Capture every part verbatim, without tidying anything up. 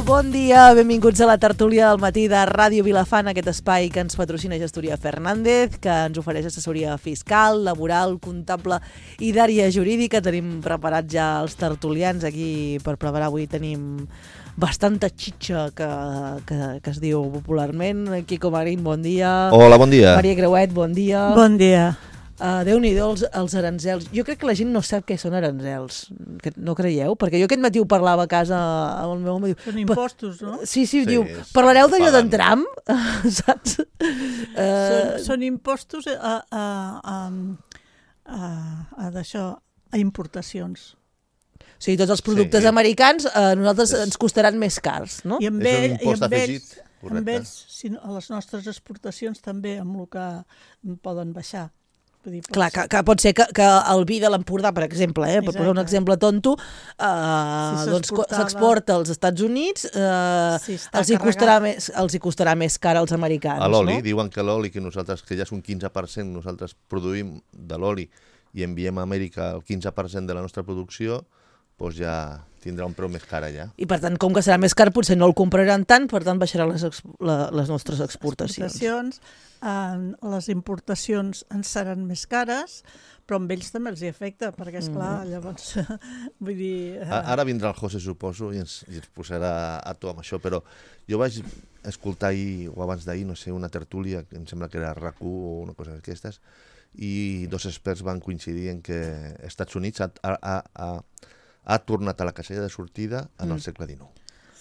tal? Bon dia, benvinguts a la tertúlia del matí de Ràdio Vilafant, aquest espai que ens patrocina Gestoria Fernández, que ens ofereix assessoria fiscal, laboral, comptable i d'àrea jurídica. Tenim preparats ja els tertulians aquí per preparar. Avui tenim bastanta xitxa que, que, que es diu popularment. Quico Marín, bon dia. Hola, bon dia. Maria Creuet, bon dia. Bon dia. Uh, Déu-n'hi-do els, els aranzels. Jo crec que la gent no sap què són aranzels. No creieu? Perquè jo aquest matí ho parlava a casa amb el meu home. Són impostos, no? Sí, sí, Sí, diu, és- parlareu d'allò d'en paguen. Trump? Saps? Uh, Són, són impostos a, a, a, a, a, d'això, a importacions. o sigui, tots els productes Sí. americans a nosaltres És- ens costaran més cars, no? I amb, És un ell, i impost amb afegit, ells, correcte. amb ells si no, a les nostres exportacions també amb el que poden baixar. Vull dir, Clar, que, que pot ser que, que el vi de l'Empordà, per exemple, eh, per posar un Exacte. exemple tonto, eh, Si doncs co- s'exportava- s'exporta als Estats Units, eh, Sí, està els, hi carregat. costarà més, els hi costarà més car als americans, A l'oli, no? diuen que l'oli, que nosaltres, que ja és un quinze per cent, nosaltres produïm de l'oli i enviem a Amèrica el quinze per cent de la nostra producció, doncs ja tindrà un preu més car allà. I per tant, com que serà més car, potser no el compraran tant, per tant baixaran les, ex la, les nostres exportacions. exportacions, eh, les importacions ens seran més cares, però amb ells també els hi afecta, perquè, esclar, Mm. llavors, vull dir... Eh, A- Ara vindrà el José, suposo, i ens, i ens posarà a to amb això, però jo vaig escoltar ahir, o abans d'ahir, no sé, una tertúlia, que em sembla que era RAC u o una cosa d'aquestes, i dos experts van coincidir en que Estats Units ha, ha, ha, ha tornat a la casella de sortida en Mm. el segle dinou.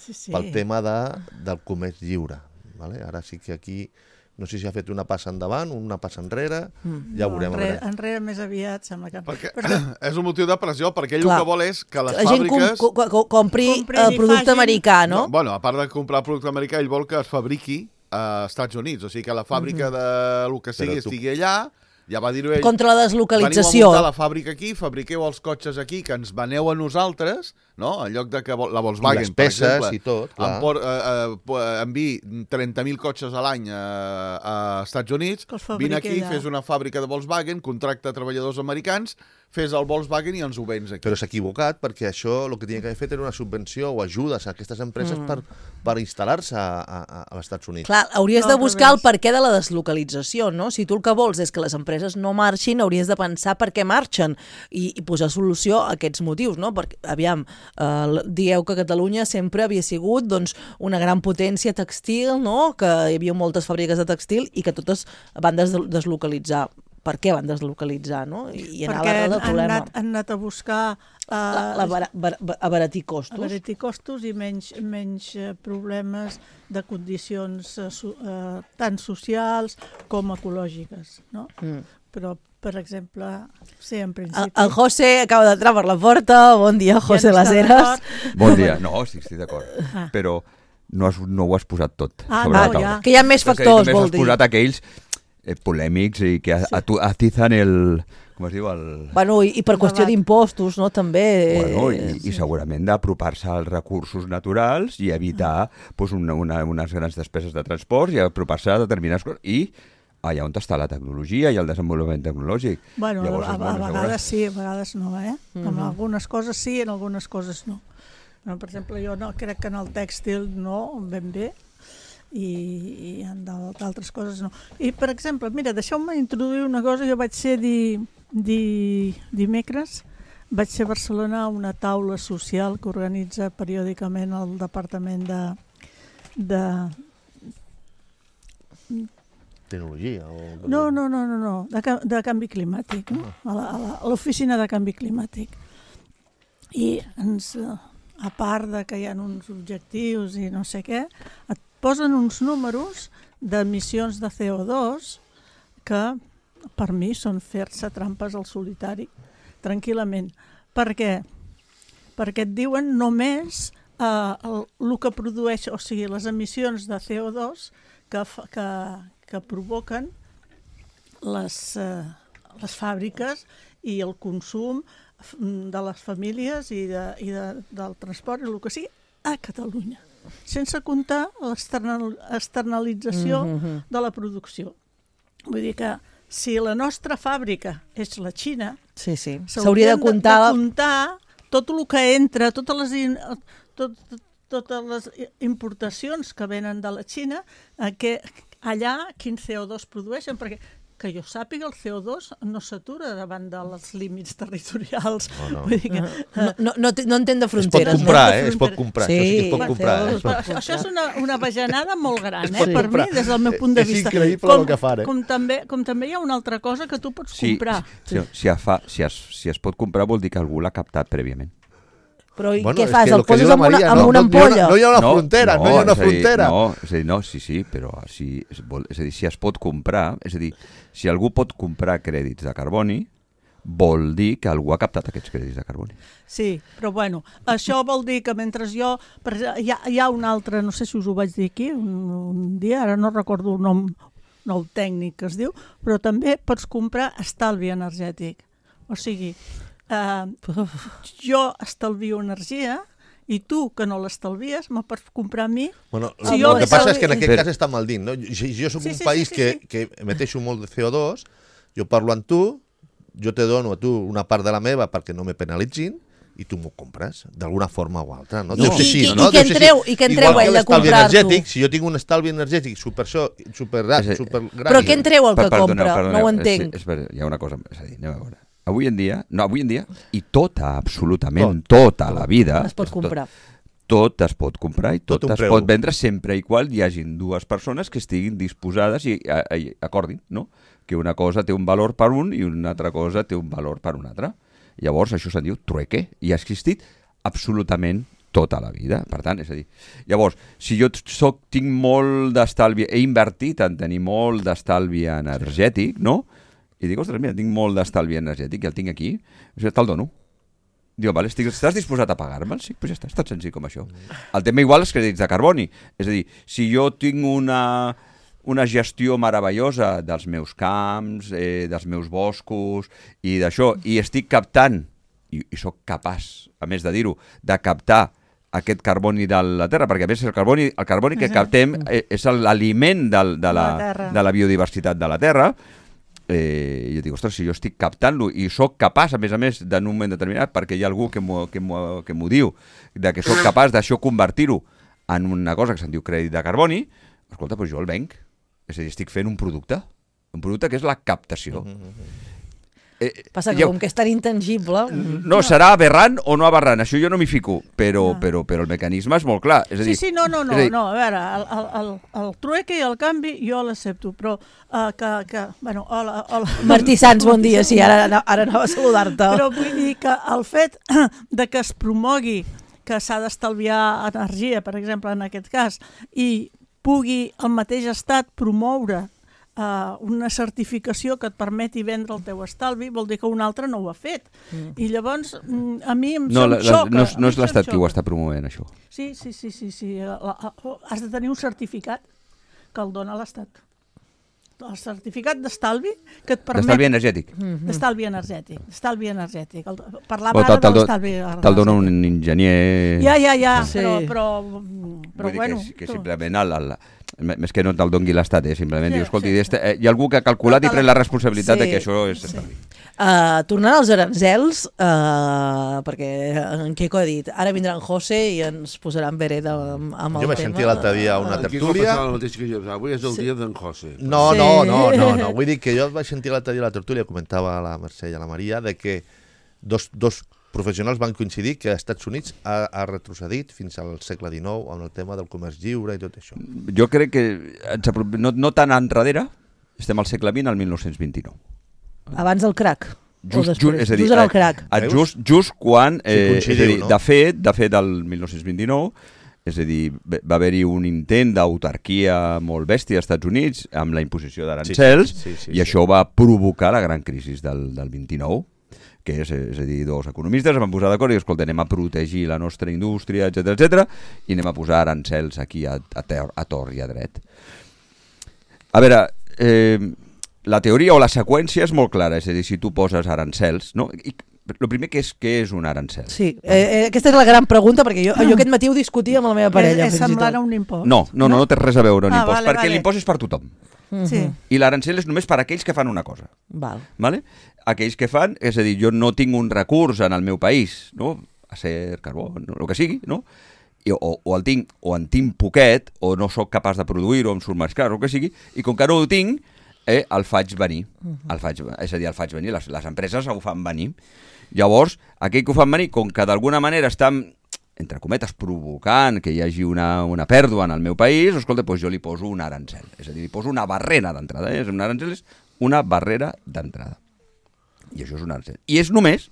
sí, sí. Pel tema de, del comerç lliure. Vale? Ara sí que aquí, no sé si ha fet una passa endavant, una passa enrere, Mm. ja ho No, veurem. a enrere, veure. enrere més aviat, sembla que... Perquè Però, és un motiu de pressió, perquè ell Clar. el que vol és que les La gent com, fàbriques... co co compri Comprin el i producte facin- americà, no? Bueno, a part de comprar producte americà, ell vol que es fabriqui a Estats Units. O sigui, que la fàbrica de lo que sigui Però tu- estigui allà, ja va dir-ho ell. Contra la Veniu a deslocalització. muntar la fàbrica aquí, fabriqueu els cotxes aquí, que ens veneu a nosaltres, no? En lloc de que vol- la Volkswagen, I les peces per exemple, i tot, clar. Em por, eh, eh, po- enviï trenta mil cotxes a l'any a, a Estats Units, Que els fabriqui vine aquí, allà. fes una fàbrica de Volkswagen, contracta treballadors americans, fes el Volkswagen i ens ho vens aquí. Però s'ha equivocat, perquè això el que tenia que haver fet era una subvenció o ajudes a aquestes empreses mm. per, per instal·lar-se a, a, als Estats Units. Clar, hauries No, de al buscar el revés. perquè de la deslocalització, no? Si tu el que vols és que les empreses no marxin, hauries de pensar per què marxen i, i posar solució a aquests motius, no? Perquè, aviam, eh, dieu que Catalunya sempre havia sigut doncs, una gran potència textil, no? Que hi havia moltes fàbriques de textil i que totes van des deslocalitzar. Per què van deslocalitzar, no? I, i anar a perquè l'arrel del han, han, problema. anat, han anat a buscar uh, La, la bara, bar, abaratir costos. abaratir costos i menys, menys eh, problemes de condicions eh, so, eh, tant socials com ecològiques, no? Mm. Però, per exemple, sí, en El, principi... el José acaba d'entrar per la porta. Bon dia, José no Las està Heras. d'acord. Bon dia. No, sí, estic d'acord. Ah. Però no, has, no ho has posat tot Ah, sobre no, la taula. ja. Que hi ha més És a dir, factors, només vol has dir. posat aquells eh, polèmics i que Sí. atu- atizan el... Com es diu? El... Bueno, i, i per El qüestió debat. d'impostos, no? També. Bueno, eh, i, i segurament d'apropar-se als recursos naturals i evitar pues, una, una, unes grans despeses de transport i apropar-se a determinades coses. I allà on està la tecnologia i el desenvolupament tecnològic. Bueno, Llavors, a, a, bueno, a segurament- vegades sí, a vegades no, eh? En Mhm. algunes coses sí, en algunes coses no. Bueno, per exemple, jo no, crec que en el tèxtil no, ben bé, i, i en d'al- d'altres coses no. I, per exemple, mira, deixeu-me introduir una cosa. Jo vaig ser di, di, dimecres, vaig ser a Barcelona a una taula social que organitza periòdicament el Departament de, de Tecnologia o... No, no, no, no, no. De, ca- de canvi climàtic, no? A la- a la- a l'oficina de canvi climàtic. I ens, eh, a part de que hi ha uns objectius i no sé què, et posen uns números d'emissions de C O dos que per mi són fer-se trampes al solitari, tranquil·lament. Per què? Perquè et diuen només eh, el, el que produeix, o sigui, les emissions de C O dos que, fa- que, que provoquen les, eh, les fàbriques i el consum de les famílies i, de, i de, del transport i el que sigui a Catalunya, sense comptar l'external, externalització Mhm. de la producció. Vull dir que si la nostra fàbrica és la Xina, Sí, sí. s'haurien S'hauria de comptar... de comptar tot el que entra, totes les, in, tot, totes les importacions que venen de la Xina, eh, que allà quin C O dos produeixen, perquè que jo sàpiga, el C O dos no s'atura davant dels límits territorials. Oh, no. Vull dir que, No, no, no, té- no entén de Es pot fronteres. comprar, no? eh? Es pot comprar. Sí, Això sí que es pot bueno, comprar. C O dos Eh? Es pot- Però això és una, una bajanada molt gran, Es eh, pot per comprar. mi, des del meu punt de És vista. increïble com, el que fan, eh? Com també, com també hi ha una altra cosa que tu pots Sí, comprar. si, si, es fa, si, es, si es pot comprar vol dir que algú l'ha captat prèviament. Però i Bueno, què és fas? que El lo que poses diu la amb una, Maria, amb no, una no, no hi ha ampolla? No hi ha una frontera, no, hi ha una és a dir, frontera. No, és a dir, no, sí, sí, però si, és, vol, és a dir, si es pot comprar, és a dir, si algú pot comprar crèdits de carboni, vol dir que algú ha captat aquests crèdits de carboni. Sí, però bueno, això vol dir que mentre jo... Per, hi, ha, hi ha un altre, no sé si us ho vaig dir aquí, un, un dia, ara no recordo el nom, el tècnic que es diu, però també pots comprar estalvi energètic. O sigui, eh, jo estalvio energia i tu, que no l'estalvies, me pots comprar a mi. Bueno, Si el jo que passa és que en estalvi- aquest Però- cas està mal dit, no? Si jo soc Sí, un sí, país sí, sí, que, sí. que emeteixo molt de C O dos, jo parlo amb tu, jo te dono a tu una part de la meva perquè no me penalitzin, i tu m'ho compres, d'alguna forma o altra, no? I- Deu ser i- així, i- no? i què Deu ser en treu- així. i què en Igual treu que ell de l'estalvi comprar-t'ho? energètic, si jo tinc un estalvi energètic super, super, És a- super gran... Però què en treu el que Per- perdoneu, compra? perdoneu, No ho és- entenc. És, és, hi ha una cosa, és a dir, anem a veure. Avui en dia, no, avui en dia, i tota, absolutament tota la vida... Es pot comprar. Tot, tot es pot comprar i tot, Tot un es preu. pot vendre sempre i qual hi hagin dues persones que estiguin disposades i, a, a, acordin, no? Que una cosa té un valor per un i una altra cosa té un valor per un altre. Llavors, això se'n diu trueque i ha existit absolutament tota la vida. Per tant, és a dir, llavors, si jo soc, tinc molt d'estalvi, he invertit en tenir molt d'estalvi energètic, no? I dic, ostres, mira, tinc molt d'estalvi energètic i el tinc aquí, jo te'l dono. Diu, vale, estic, estàs disposat a pagar-me'l? Sí, doncs ja està, és tan senzill com això. El tema igual els crèdits de carboni. És a dir, si jo tinc una, una gestió meravellosa dels meus camps, eh, dels meus boscos i d'això, i estic captant, i, i sóc capaç, a més de dir-ho, de captar aquest carboni de la Terra, perquè a més el carboni, el carboni que captem eh, és l'aliment del- de, la, La terra. de la biodiversitat de la Terra. Eh, jo dic, ostres, si jo estic captant-lo i sóc capaç, a més a més, en un moment determinat, perquè hi ha algú que m'ho que m'ho- que m'ho diu, de que sóc capaç d'això convertir-ho en una cosa que se'n diu crèdit de carboni, escolta, doncs jo el venc. És a dir, estic fent un producte, un producte que és la captació. Eh, Passa que ja- com que és tan intangible... no, serà aberrant o no aberrant, això jo no m'hi fico, però, però, però el mecanisme és molt clar. És a Sí, dir, sí, no, no, no, és a dir, no, a veure, el, el, el, el trueque i el canvi jo l'accepto, però uh, que, que, bueno, hola, hola. Martí Sans, bon dia, sí, ara, ara anava a saludar-te. Però vull dir que el fet de que es promogui que s'ha d'estalviar energia, per exemple, en aquest cas, i pugui el mateix estat promoure uh, una certificació que et permeti vendre el teu estalvi, vol dir que un altre no ho ha fet. Mm. I llavors, mm, a mi em no, se'm la, la, xoca. no, és- a no mi és se'm l'Estat qui ho xoca. està promovent, això. Sí, sí, sí, sí, sí. La, la, has de tenir un certificat que el dona l'Estat. El certificat d'estalvi que et permet... D'estalvi energètic. D'estalvi energètic. D'estalvi energètic. El, parlava Bueno, ara te'l- te'l de do- l'estalvi Te'l dona un energètic. enginyer... Ja, ja, ja, Sí. però, però, però Vull dir bueno... que, que tu- simplement el, el, més que no te'l doni l'Estat, eh? Simplement Sí, diu, escolti, sí, sí. este, eh, hi ha algú que ha calculat Però i te pren la- la responsabilitat Sí, de que això és sí. estalvi. Uh, tornant als aranzels, uh, perquè en Quico ha dit, ara vindrà en José i ens posaran vereda amb, amb el Jo vaig tema. sentir l'altre dia una Aquí tertúlia... el mateix que jo. Avui és el dia d'en José. No, Sí. no, no, no, no. Vull dir que jo vaig sentir l'altre dia la tertúlia, comentava la Mercè i la Maria, de que dos, dos professionals van coincidir que als Estats Units ha, ha retrocedit fins al segle dinou amb el tema del comerç lliure i tot això. Jo crec que ens apro- no, no tan enrere, estem al segle vint, al mil nou-cents vint-i-nou. Abans del crac. o Just, després? just, és a dir, just en el eh, crac. eh, just, just quan, eh, Sí, és a coincidiu, dir, no? de fet, de fet, del mil nou-cents vint-i-nou, és a dir, va va haver-hi un intent d'autarquia molt bèstia als Estats Units amb la imposició d'arancels, Sí, sí, sí, sí, i sí. això va provocar la gran crisi del, del vint-i-nou, que és, és a dir, dos economistes es van posar d'acord i diuen, escolta, anem a protegir la nostra indústria, etcètera, etcètera, i anem a posar arancels aquí a, a, ter, a tor i a dret. A veure, eh, la teoria o la seqüència és molt clara, és a dir, si tu poses arancels, no? I el primer que és, què és un arancel? Sí, eh, eh, aquesta és la gran pregunta, perquè jo, jo aquest matí ho discutia amb la meva parella. és, és fins i semblant tot. a un impost. No, no, no, no té res a veure un Ah, impost, vale, perquè vale. l'impost és per tothom. Sí. I l'arancel és només per a aquells que fan una cosa. Val. ¿Vale? Aquells que fan, és a dir, jo no tinc un recurs en el meu país, no? Acer, carbó, no, el que sigui, no? i, o, o, el tinc, o en tinc poquet, o no sóc capaç de produir-ho, o em surt més car, o el que sigui, i com que no ho tinc, eh, el faig venir. Uh -huh. el faig, és a dir, el faig venir, les, les empreses ho fan venir. Llavors, aquell que ho fan venir, com que d'alguna manera estan, entre cometes, provocant que hi hagi una, una pèrdua en el meu país, escolta, doncs jo li poso un arancel. És a dir, li poso una barrera d'entrada. Eh? Un arancel és una barrera d'entrada. I això és un arancel. I és només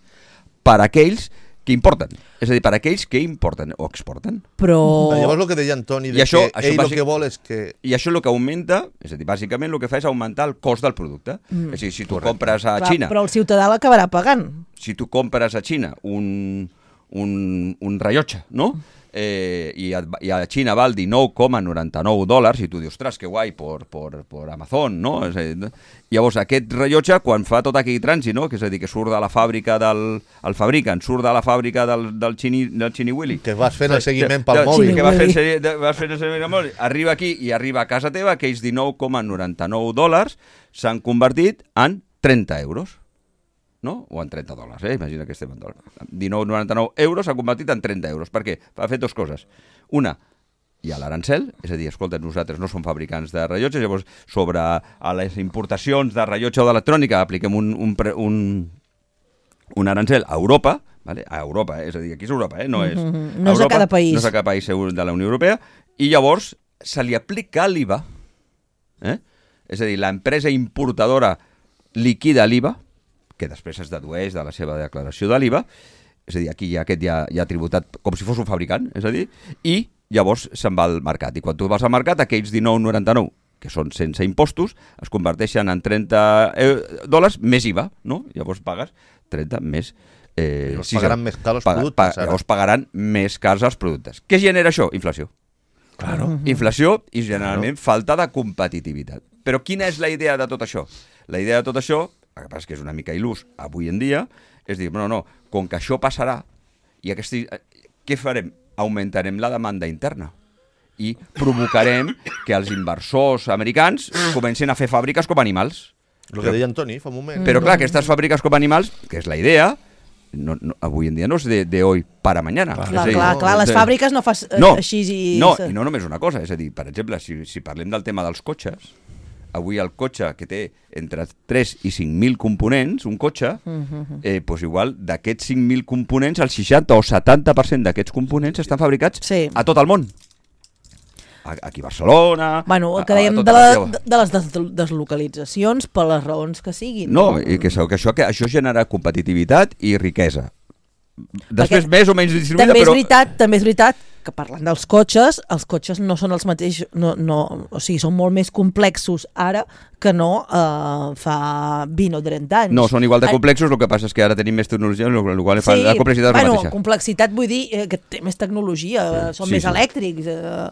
per a aquells que importen. És a dir, per a aquells que importen o exporten. Però... Llavors el que deia Antoni, de això, que això ell bàsic... el que vol és que... I això el que augmenta, és a dir, bàsicament el que fa és augmentar el cost del producte. Mm. És a dir, si tu Correcte. compres a Clar, Xina... però el ciutadà l'acabarà pagant. Si tu compres a Xina un, un, un rellotge, no?, Eh, i, a, i a Xina val dinou coma noranta-nou dòlars i tu dius, ostres, que guai, per, per, per Amazon, no? És a dir, llavors aquest rellotge, quan fa tot aquell trànsit, no? Que és a dir, que surt de la fàbrica del el fabricant, surt de la fàbrica del, del, xini, del Xini Willy, Que vas fent el seguiment pel de, mòbil. que vas fent, de, vas fent el seguiment pel mòbil, arriba aquí i arriba a casa teva, aquells dinou coma noranta-nou dòlars s'han convertit en trenta euros. No? O en trenta dòlars, eh? Imagina que estem en dòlars. dinou coma noranta-nou euros s'ha convertit en trenta euros. Per què? Ha fet dues coses. Una, hi ha l'arancel, és a dir, escolta, nosaltres no som fabricants de rellotges, llavors sobre a les importacions de rellotge o d'electrònica apliquem un, un, un, un arancel a Europa, vale? A Europa, eh? És a dir, aquí és Europa, eh? No és, Mm-hmm. No és Europa, a cada país. No és a cada país de la Unió Europea, i llavors se li aplica l'I V A. Eh? És a dir, l'empresa importadora liquida l'I V A, que després es dedueix de la seva declaració de l'I V A, és a dir, aquí ja aquest ja, ja ha tributat com si fos un fabricant, és a dir, i llavors se'n va al mercat. I quan tu vas al mercat, aquells dinou coma noranta-nou, que són sense impostos, es converteixen en trenta dòlars més I V A, no? Llavors pagues trenta més... Eh, Llavors sis, pagaran més cars els paga, productes, pa, ara. llavors pagaran més cars els productes. Què genera això? Inflació. Claro. Inflació i generalment falta de competitivitat. Però quina és la idea de tot això? La idea de tot això, el que passa és que és una mica il·lús avui en dia, és dir, no, no, com que això passarà, i aquest, què farem? Augmentarem la demanda interna i provocarem que els inversors americans comencin a fer fàbriques com animals. El que deia Antoni fa un moment. Però clar, aquestes fàbriques com animals, que és la idea, no, no, avui en dia no és de, de hoy para mañana. Clar, és clar, a dir, clar, no, clar, les de- fàbriques no fas eh, no, així i... No, i no només una cosa, és a dir, per exemple, si, si parlem del tema dels cotxes, avui el cotxe que té entre tres i cinc mil components, un cotxe, eh, doncs igual d'aquests cinc mil components, el seixanta o setanta per cent d'aquests components estan fabricats Sí. a tot el món. A- Aquí a Barcelona... Bueno, el que a- a dèiem tota de, la- la, de les des deslocalitzacions per les raons que siguin. No, i que, que, això, que això genera competitivitat i riquesa. Després Perquè més o menys distribuïda, també és però... veritat, també és veritat que parlant dels cotxes, els cotxes no són els mateixos, no, no, o sigui, són molt més complexos ara que no eh, fa vint o trenta anys. No, són igual de Ah, complexos, el que passa és que ara tenim més tecnologia, el qual fa Sí, la complexitat és bueno, la mateixa. complexitat vull dir eh, que té més tecnologia, són Sí, més sí. elèctrics, eh,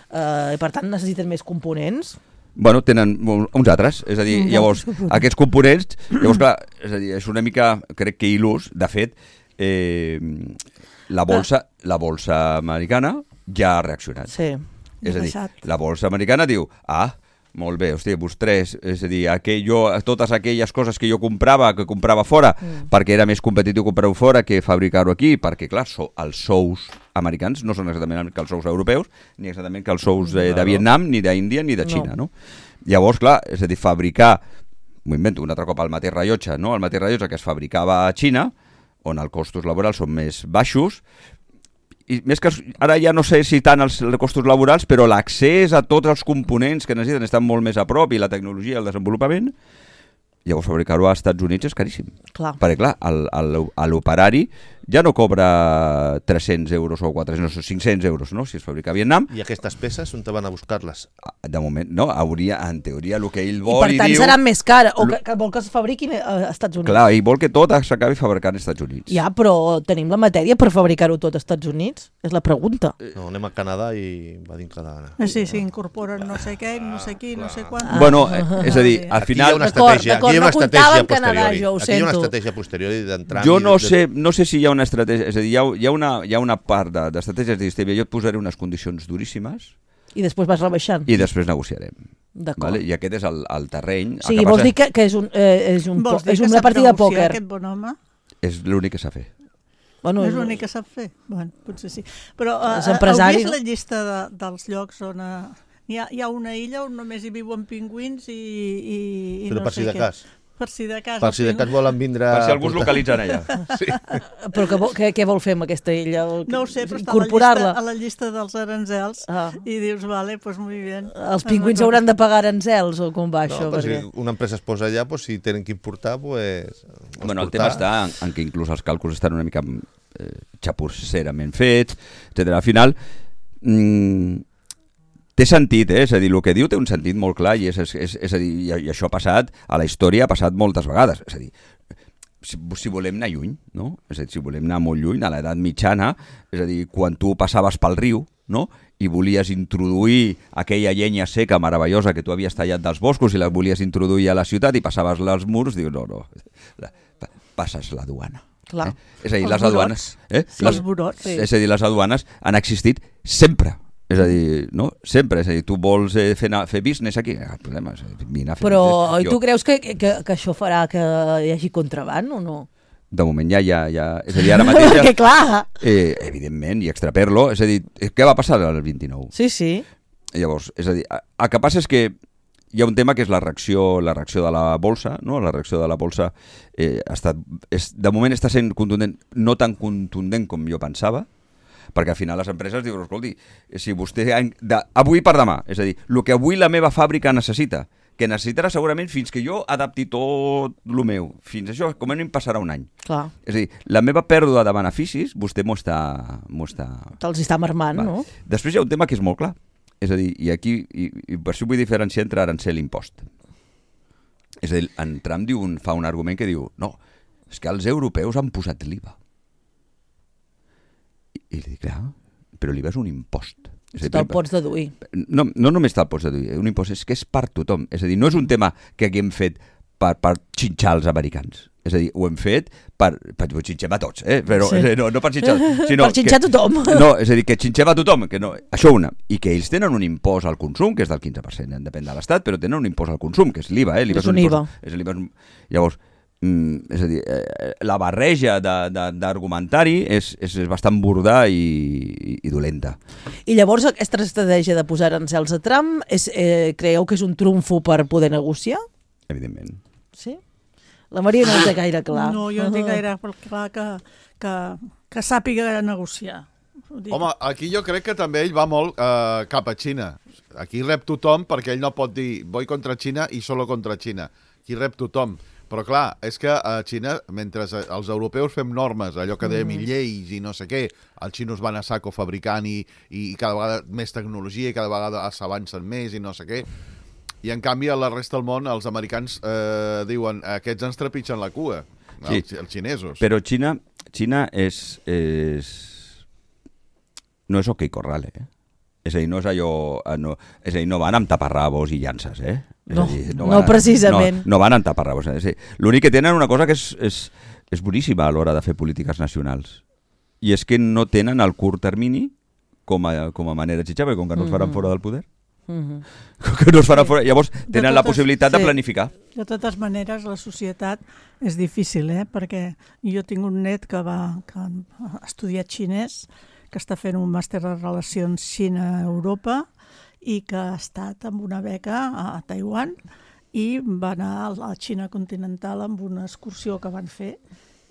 eh, i per tant necessiten més components. Bueno, tenen uns altres, és a dir, Mm, llavors, molts. aquests components, llavors, clar, és a dir, és una mica, crec que il·lús, de fet, eh, la bolsa, la bolsa americana ja ha reaccionat. Sí. És a dir, Baixat. la bolsa americana diu, ah, molt bé, hòstia, vostès, és a dir, aquell, jo, totes aquelles coses que jo comprava, que comprava fora, mm. perquè era més competitiu comprar-ho fora que fabricar-ho aquí, perquè, clar, so, els sous americans no són exactament que els sous europeus, ni exactament que els sous eh, de Vietnam, ni d'Índia, ni de Xina, no. no? Llavors, clar, és a dir, fabricar, m'ho invento un altre cop, el mateix rellotge, no? El mateix rellotge que es fabricava a Xina, on els costos laborals són més baixos, i més que ara ja no sé si tant els costos laborals, però l'accés a tots els components que necessiten estan molt més a prop i la tecnologia i el desenvolupament, llavors fabricar-ho als Estats Units és caríssim. Clar. Perquè clar, el- el- a l'operari ja no cobra tres-cents euros o quatre-cents, no, cinc-cents euros, no? Si es fabrica a Vietnam, I aquestes peces, on te van a buscar-les? de moment, no, hauria, en teoria, el que ell I vol per i tant diu... seran més cares, o que, que vol que es fabriquin a Estats Units. Clar, ell vol que tot s'acabi fabricant als Estats Units. Ja, però tenim la matèria per fabricar-ho tot als Estats Units? És la pregunta. No, anem a Canadà i va dintre de gana. Eh, Sí, sí, incorporen no sé què, no sé qui, no sé quan. Ah. Bueno, eh, és a dir, al Aquí hi ha final... una D'acord, estratègia, aquí d'acord, hi ha una no comptava estratègia amb Canadà, posteriori. jo ho Aquí hi ha una sento. estratègia posteriori d'entrar... Jo i no de- sé, no sé si hi ha una estratègia, és a dir, hi ha, hi ha, una, hi ha una part de- d'estratègies de, de jo et posaré unes condicions duríssimes I després vas rebaixant. i després negociarem. D'acord. Vale? I aquest és el, el terreny. O sigui, vols dir que, que és, un, eh, és, un, Vols dir és que una sap partida de negociar, pòquer. Aquest bon home? És l'únic que s'ha fet. Bueno, és l'únic que sap fer. Bueno, potser sí. Però uh, És empresari, heu vist no? la llista de, dels llocs on... Uh, hi, ha, hi ha una illa on només hi viuen pingüins i, i, i Però no per si sé de què. cas. Per si de cas. Per si de cas volen vindre... Per si algú es a portar- localitzen allà. Sí. Però que, vol- què, què vol fer amb aquesta illa? No ho sé, però està a la, llista, Incorporar-la? a la llista dels aranzels Ah. i dius, vale, pues muy bien. Els pingüins hauran de pagar aranzels o com va No, això? però Perquè... si una empresa es posa allà, pues, si tenen que importar, pues, Bueno, el tema està en, en que inclús els càlculs estan una mica eh, xapusserament fets, etcètera. Al final, mm, té sentit, eh? És a dir, el que diu té un sentit molt clar i, és, és, és, és a dir, i, i això ha passat, a la història ha passat moltes vegades. És a dir, si, si volem anar lluny, no? És a dir, si volem anar molt lluny, a l'edat mitjana, és a dir, quan tu passaves pel riu, no? I volies introduir aquella llenya seca meravellosa que tu havies tallat dels boscos i la volies introduir a la ciutat i passaves els murs, dius, no, no, la, pa, passes la duana. Clar. Eh? És a dir, Els les aduanes... Eh? Sí, els burots, sí. És a dir, les aduanes han existit sempre. És a dir, no? Sempre. És a dir, tu vols eh, fer, fer business aquí? Ah, el problema és vine a fer Però business. i tu creus que, que, que això farà que hi hagi contraban o no? De moment ja, ja, ja... És a dir, ara mateix... Ja, Perquè clar... eh, evidentment, i extraperlo. És a dir, què va passar el vint-i-nou? Sí, sí. Llavors, és a dir, el que passa és que hi ha un tema que és la reacció, la reacció de la bolsa, no? La reacció de la bolsa eh, ha estat, és, de moment està sent contundent, no tan contundent com jo pensava, perquè al final les empreses diuen, escolti, si vostè de, avui per demà, és a dir, el que avui la meva fàbrica necessita, que necessitarà segurament fins que jo adapti tot el meu, fins això com a mínim passarà un any. Clar. És a dir, la meva pèrdua de beneficis, vostè m'ho està... M'ho està... Te'ls està marmant, Va. no? Després hi ha un tema que és molt clar. És a dir, i aquí, i, i per això vull diferenciar entre arancel i impost. És a dir, en Trump diu un, fa un argument que diu, no, és que els europeus han posat l'I V A. I, i li dic, clar, però l'I V A és un impost. És a dir, Te'l pots deduir. no, no només te'l pots deduir, un impost és que és per tothom. És a dir, no és un tema que haguem fet per, per xinxar els americans. És a dir, ho hem fet per... per ho xinxem a tots, eh? Però Sí. sí. no, no per xinxar... Sinó Per xinxar que, tothom. No, és a dir, que xinxem a tothom. Que no, això una. I que ells tenen un impost al consum, que és del quinze per cent, depèn de l'Estat, però tenen un impost al consum, que és l'I V A. Eh? És un I V A. Impost, és l'I V A és un... Llavors, mm, és a dir, eh, la barreja d'argumentari és, és bastant burda i, i, i dolenta. I llavors aquesta estratègia de posar arancels a Trump, és, eh, creieu que és un trumfo per poder negociar? Evidentment. Sí? La Maria no ho té gaire clar. No, jo no tinc gaire clar que, que, que sàpiga negociar. Ho dic. Home, aquí jo crec que també ell va molt eh, cap a Xina. Aquí rep tothom perquè ell no pot dir voy contra Xina i solo contra Xina. Aquí rep tothom. Però clar, és que a Xina, mentre els europeus fem normes, allò que dèiem, i lleis i no sé què, els xinos van a saco fabricant i, i cada vegada més tecnologia i cada vegada s'avancen més i no sé què. I en canvi a la resta del món els americans eh, diuen aquests ens trepitgen la cua, Sí. els, els xinesos. Però Xina, Xina és, és... no és OK Corral, eh? És a dir, no és allò... No, és a dir, no van amb taparrabos i llances, eh? És No, a dir, no van a- precisament. No, no van amb taparrabos. Eh? L'únic que tenen una cosa que és, és, és boníssima a l'hora de fer polítiques nacionals. I és que no tenen el curt termini com a, com a manera de xitxar, perquè com que no es faran fora del poder, Mhm. com que no es faran fora, llavors tenen la totes- possibilitat de sí. planificar. De totes maneres, la societat és difícil, eh? Perquè jo tinc un net que va que ha estudiat xinès, que està fent un màster de relacions Xina-Europa i que ha estat amb una beca a Taiwan i va anar a la Xina continental amb una excursió que van fer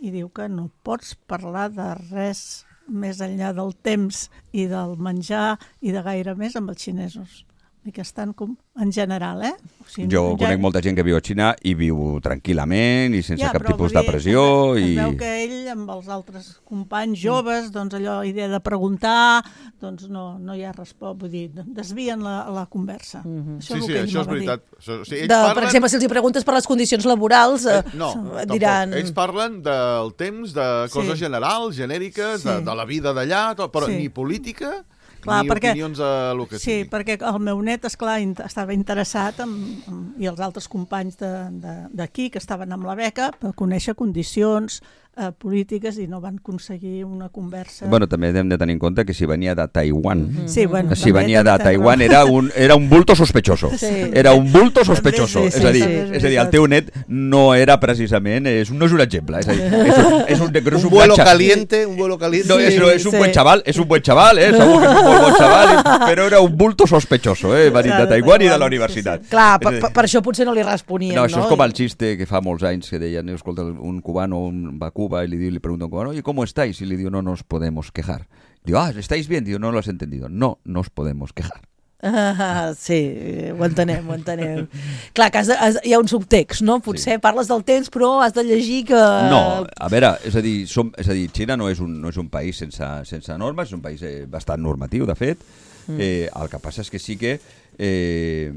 i diu que no pots parlar de res més enllà del temps i del menjar i de gaire més amb els xinesos. I que estan com en general, eh? O sigui, Jo ja- conec molta gent que viu a Xina i viu tranquil·lament i sense Ja, cap però tipus vull de dir, pressió. Es, I... es veu que ell, amb els altres companys joves, doncs allò, idea de preguntar, doncs no, no hi ha resposta, vull dir, desvien la, la conversa. Mhm. Això Sí, és sí, el que ell això és m'ha de dir. veritat. Això, o sigui, ells De, parlen... Per exemple, si els hi preguntes per les condicions laborals, eh, Eh, no, diran... tampoc. Ells parlen del temps, de coses Sí. generals, genèriques, Sí. de, de la vida d'allà, tot, però Sí. ni política, Clar, ni perquè- opinions a lo que Sí, sigui. perquè el meu net, esclar, int- estava interessat en, en, i els altres companys de- de- d'aquí que estaven amb la beca per conèixer condicions, eh, polítiques i no van aconseguir una conversa. Bueno, també hem de tenir en compte que si venia de Taiwan, Mm-hmm. Sí, bueno, si també venia de tens Taiwan raó. era un, era un bulto sospechoso. Sí. Era un bulto sospechoso. Sí, sí, és, a dir, sí, és a dir, el teu net no era precisament, és, no és un exemple. És a dir, és un, és un, és un, Un vuelo gatxa- caliente, un vuelo caliente. No, és, Sí, no, és un sí. buen chaval, és un buen chaval, eh? Segur que és un molt bon chaval, i- però era un bulto sospechoso, eh? Venit Clar, de de Taiwan i de Taiwan, la sí, universitat. sí. Clar, És a per, dir, per, per això potser no li responien, No, no? això és com el xiste que fa molts anys que deien, escolta, un cubano un, va a Cuba y le, diu, le pregunta a un cubano, oye, ¿cómo estáis? Y le digo, no nos podemos quejar. Digo, ah, ¿estáis bien? Digo, no lo has entendido. No nos podemos quejar. Ah, sí, ho entenem, ho entenem. Clar, que has de, has, hi ha un subtext, no? Potser sí. parles del temps, però has de llegir que... No, a veure, és a dir, som, és a dir Xina no és un, no és un país sense, sense normes, és un país eh, bastant normatiu, de fet. Mm. Eh, el que passa és que sí que eh,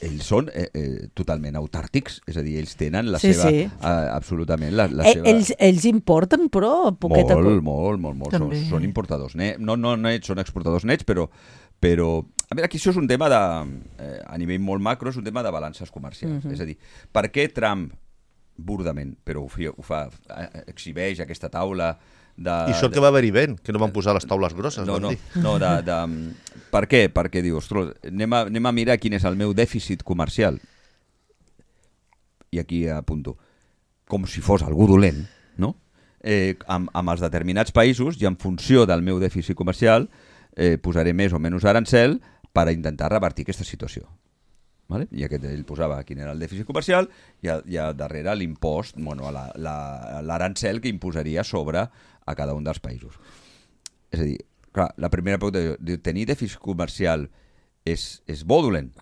ells són eh, eh, totalment autàrtics, és a dir, ells tenen la Sí, seva... sí. Eh, absolutament, la, la Eh, seva... ells, ells importen, però, poquet a Molt, poc. molt, molt, molt. Són, També. són importadors nets, no, no nets, són exportadors nets, però, però... A veure, aquí això és un tema de... Eh, a nivell molt macro, és un tema de balances comercials. Mhm. És a dir, per què Trump, burdament, però ho, fi, ho fa, eh, exhibeix aquesta taula de... I això que va haver-hi vent, que no van posar les taules grosses, No, van no, dir. no de, de... Per què? Perquè diu, ostres, anem a, anem a mirar quin és el meu dèficit comercial. I aquí apunto, com si fos algú dolent, no? Eh, amb, amb els determinats països i en funció del meu dèficit comercial eh, posaré més o menys arancel per a intentar revertir aquesta situació. Vale? I aquest, ell posava quin era el dèficit comercial i a, i a darrere l'impost, bueno, la, la, l'arancel que imposaria sobre a cada un dels països. És a dir, clar, la primera pregunta, diu, tenir dèficit comercial és, és bo o dolent?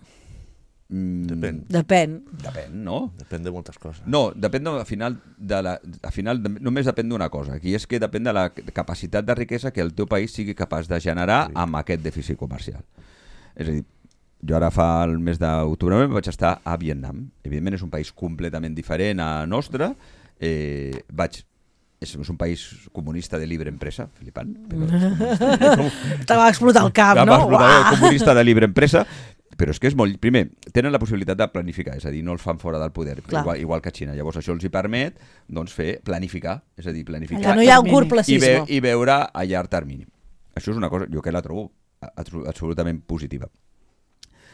Mm, Depèn. Depèn. Depèn, no? Depèn de moltes coses. No, depèn de, al final, de la, al final de, només depèn d'una cosa, i és que depèn de la capacitat de riquesa que el teu país sigui capaç de generar sí. amb aquest dèficit comercial. És a dir, jo ara fa el mes d'octubre vaig estar a Vietnam. Evidentment és un país completament diferent a nostre. Eh, vaig és, és un país comunista de libre empresa, flipant. Però és comunista. Te va explotar el cap, Va no? explotar el Uah! comunista de libre empresa. Però és que és molt... Primer, tenen la possibilitat de planificar, és a dir, no els fan fora del poder, igual, igual que Xina. Llavors això els hi permet doncs, fer planificar, és a dir, planificar Que no hi ha un termini. i, ve, curtplacisme. i veure a llarg termini. Això és una cosa, jo que la trobo abso- absolutament positiva.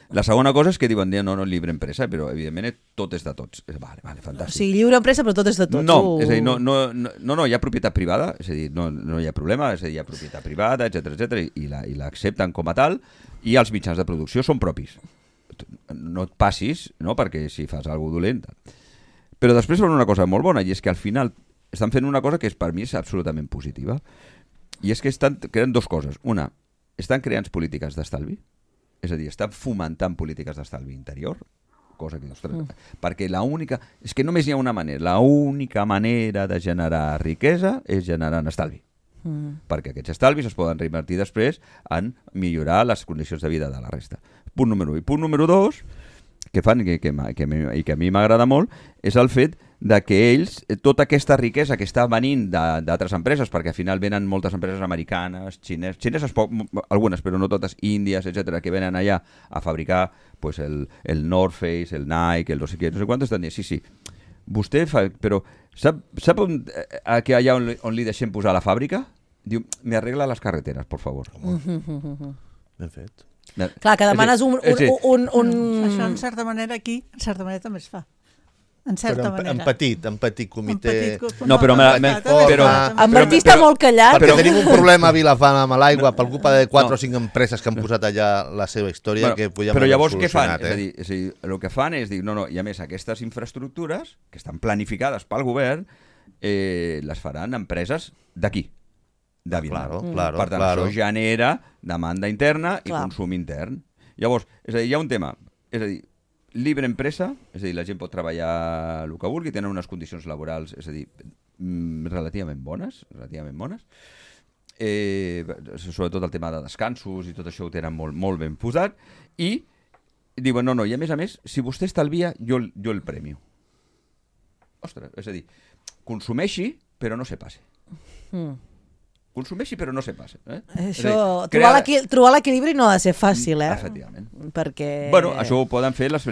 La segona cosa és que diuen, no, no, lliure empresa, però evidentment tot és de tots. Vale, vale, O fantàstic. sigui, lliure empresa, però tot és de tots. No, Uh. és a dir, no, no, no, no, no, hi ha propietat privada, és a dir, no, no hi ha problema, és a dir, hi ha propietat privada, etcètera, etcètera, i la, i l'accepten com a tal, i els mitjans de producció són propis. No et passis, no?, perquè si fas alguna dolent. Però després fan una cosa molt bona, i és que al final estan fent una cosa que és, per mi és absolutament positiva, i és que estan creant dues coses. Una, estan creant polítiques d'estalvi, és a dir, estan fomentant polítiques d'estalvi interior, cosa que, ostres, mm. perquè la única... És que només hi ha una manera. La única manera de generar riquesa és generant estalvi. Mm. Perquè aquests estalvis es poden reinvertir després en millorar les condicions de vida de la resta. Punt número u. I punt número dos, que fan que, que, que, i que a mi m'agrada molt, és el fet de que ells, tota aquesta riquesa que està venint d'altres empreses, perquè al final venen moltes empreses americanes, xines, xineses poc, algunes, però no totes, índies, etcètera, que venen allà a fabricar pues, el, el North Face, el Nike, el no sé què, no sé quantos, estan dient, sí, sí, vostè fa... Però sap, sap on, a que allà on, on li deixem posar la fàbrica? Diu, me arregla les carreteres, por favor. Ben fet. Clar, que demanes un... un, un, un, un... Això, en certa manera, aquí, en certa manera també es fa. En certa Però en, manera. en petit, en petit comitè... En petit, No, però en me- petit, me- també es però- fa, també En es fa. Martí està molt callat. Perquè Però- tenim un problema a Vilafant amb l'aigua per culpa de quatre No. o cinc empreses que han posat allà la seva història Bueno, que podíem però haver llavors què fan? solucionat, És a eh? dir, és a dir, el que fan és dir, no, no, i a més aquestes infraestructures que estan planificades pel govern eh, les faran empreses d'aquí, de Vietnam. Claro, claro, Per tant, claro. això genera demanda interna i Clar. consum intern. Llavors, és a dir, hi ha un tema, és a dir, libre empresa, és a dir, la gent pot treballar el que vulgui, tenen unes condicions laborals, és a dir, mm, relativament bones, relativament bones, eh, sobretot el tema de descansos i tot això ho tenen molt, molt ben posat, i diuen, no, no, i a més a més, si vostè estalvia, jo, jo el premio. Ostres, és a dir, consumeixi, però no se passe. Mm. Consumeixi, però no se passe. Eh? És Això, a dir, trobar crea- l'equi- trobar l'equilibri no ha de ser fàcil, eh? Efectivament. Perquè... Bueno, això ho poden fer les,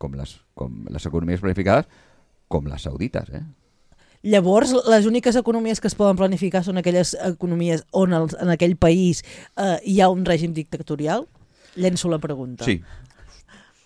com les, com les economies planificades, com les saudites, eh? Llavors, les úniques economies que es poden planificar són aquelles economies on el, en aquell país eh, hi ha un règim dictatorial? Llenço la pregunta. Sí.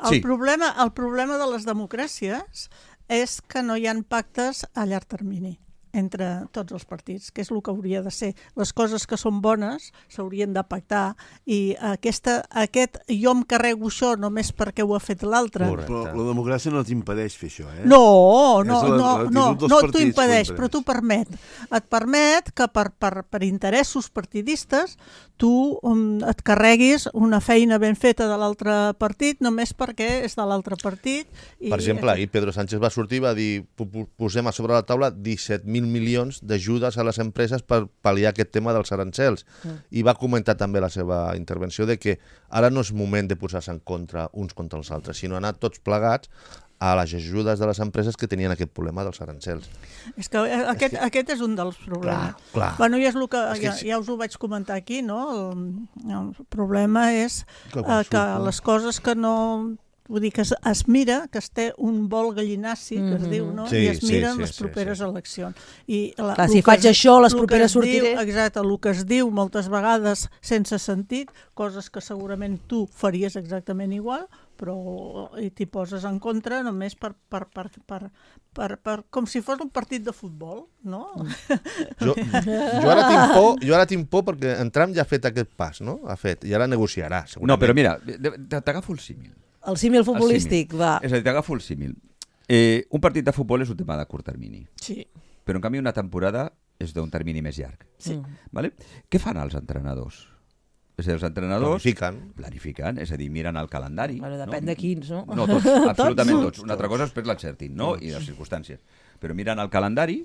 El, Sí. problema, el problema de les democràcies és que no hi ha pactes a llarg termini entre tots els partits, que és el que hauria de ser. Les coses que són bones s'haurien de pactar i aquesta, aquest jo em carrego això només perquè ho ha fet l'altre. Però la democràcia no t'impedeix fer això, eh? No, no, És la- no, l'actitud no, dels no t'ho partits, impedeix, ho però t'ho permet. Et permet que per, per, per interessos partidistes tu um, et carreguis una feina ben feta de l'altre partit només perquè és de l'altre partit. I, Per exemple, ahir Pedro Sánchez va sortir i va dir "Po- po- posem a sobre la taula disset mil milions d'ajudes a les empreses per pal·liar aquest tema dels arancels. Mm. I va comentar també la seva intervenció de que ara no és moment de posar-se en contra uns contra els altres, sinó anar tots plegats a les ajudes de les empreses que tenien aquest problema dels arancels. És que aquest, aquest és un dels problemes. Clar, clar. Bueno, ja, és el que, És que ja, sí. ja us ho vaig comentar aquí, no? El, el problema és Que eh, quan que surt, les coses que no... Vull dir que es, es mira, que es té un vol gallinaci, que es diu, no? Sí, I es sí, miren sí, les sí, properes sí. eleccions. I la, Clar, el si que faig es- això, les el que properes es diu- sortiré. Exacte, el que es diu moltes vegades sense sentit, coses que segurament tu faries exactament igual, però i t'hi poses en contra només per, per, per, per, per, per, com si fos un partit de futbol, no? Jo, jo, ara tinc por, jo ara tinc por perquè en Trump ja ha fet aquest pas, no? Ha fet, i ara negociarà, segurament. No, però mira, t'agafo el símil. El símil El futbolístic, símil. va. És a dir, t'agafo el símil. Eh, un partit de futbol és un tema de curt termini, Sí. però en canvi una temporada és d'un termini més llarg. Sí. Vale? Què fan els entrenadors? És a dir, els entrenadors Planifiquen. planifiquen, és a dir, miren el calendari. Bueno, depèn no? de quins, no? No, tots, absolutament tots. Una altra cosa és després l'encertin, no? I les circumstàncies. Però miren el calendari,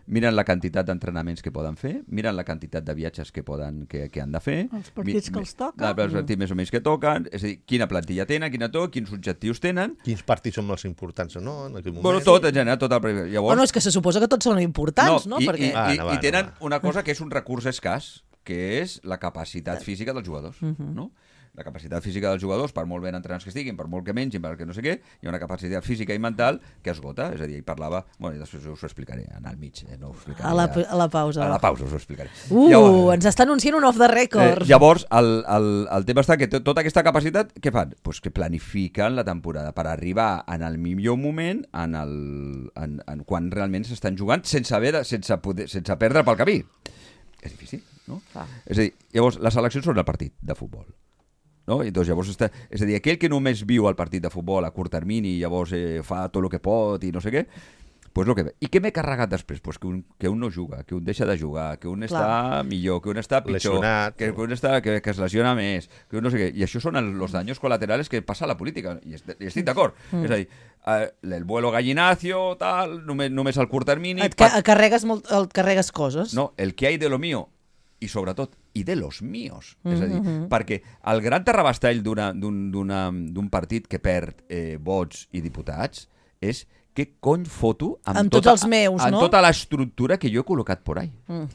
miren la quantitat d'entrenaments que poden fer, miren la quantitat de viatges que poden que, que han de fer. Els partits que els toca. Els partits més o menys que toquen, és a dir, quina plantilla tenen, quina to, quins objectius tenen. Quins partits són els importants o no, en aquell moment. Bueno, tot, en general, tot el... Llavors, Bueno, és que se suposa que tots són importants, no? I, Perquè... i, Ah, i, no, va, i tenen no va. una cosa que és un recurs escàs, que és la capacitat física dels jugadors, no? La capacitat física dels jugadors, per molt ben entrenats que estiguin, per molt que mengin, perquè no sé què, hi ha una capacitat física i mental que esgota, és a dir, ell parlava... Bueno, i després us ho explicaré, anar al mig, eh? No ho explicaré. A la, ja. a la pausa. A la pausa us ho explicaré. Uh, Llavors, ens està anunciant un off the record. Eh, llavors, el, el, el tema està que to- tota aquesta capacitat, què fan? Pues que planifiquen la temporada per arribar en el millor moment en el, en, en quan realment s'estan jugant sense, haver de, sense, poder, sense perdre pel camí. És difícil, no? Ah. És a dir, llavors, les seleccions són el partit de futbol. No? I doncs, llavors està, és a dir, aquell que només viu el partit de futbol a curt termini i llavors eh, fa tot el que pot i no sé què, pues lo que ve. I què m'he carregat després? Pues que, un, que un no juga, que un deixa de jugar, que un Clar. està millor, que un està pitjor, Lesionat. que, que un està, que, que es lesiona més, que un no sé què. I això són els los daños colaterales que passa a la política. I, est i estic d'acord. Mm. És a dir, eh, el vuelo gallinacio, tal, només, només al curt termini... Et, ca et, carregues molt, et carregues coses. No, el que hay de lo mío i sobretot, i de los míos. Mm -hmm. És a dir, perquè el gran terrabastall d'un partit que perd eh, vots i diputats és què cony foto amb, Amb tots tota, els meus, amb no? tota l'estructura que jo he col·locat por ahí. Mm.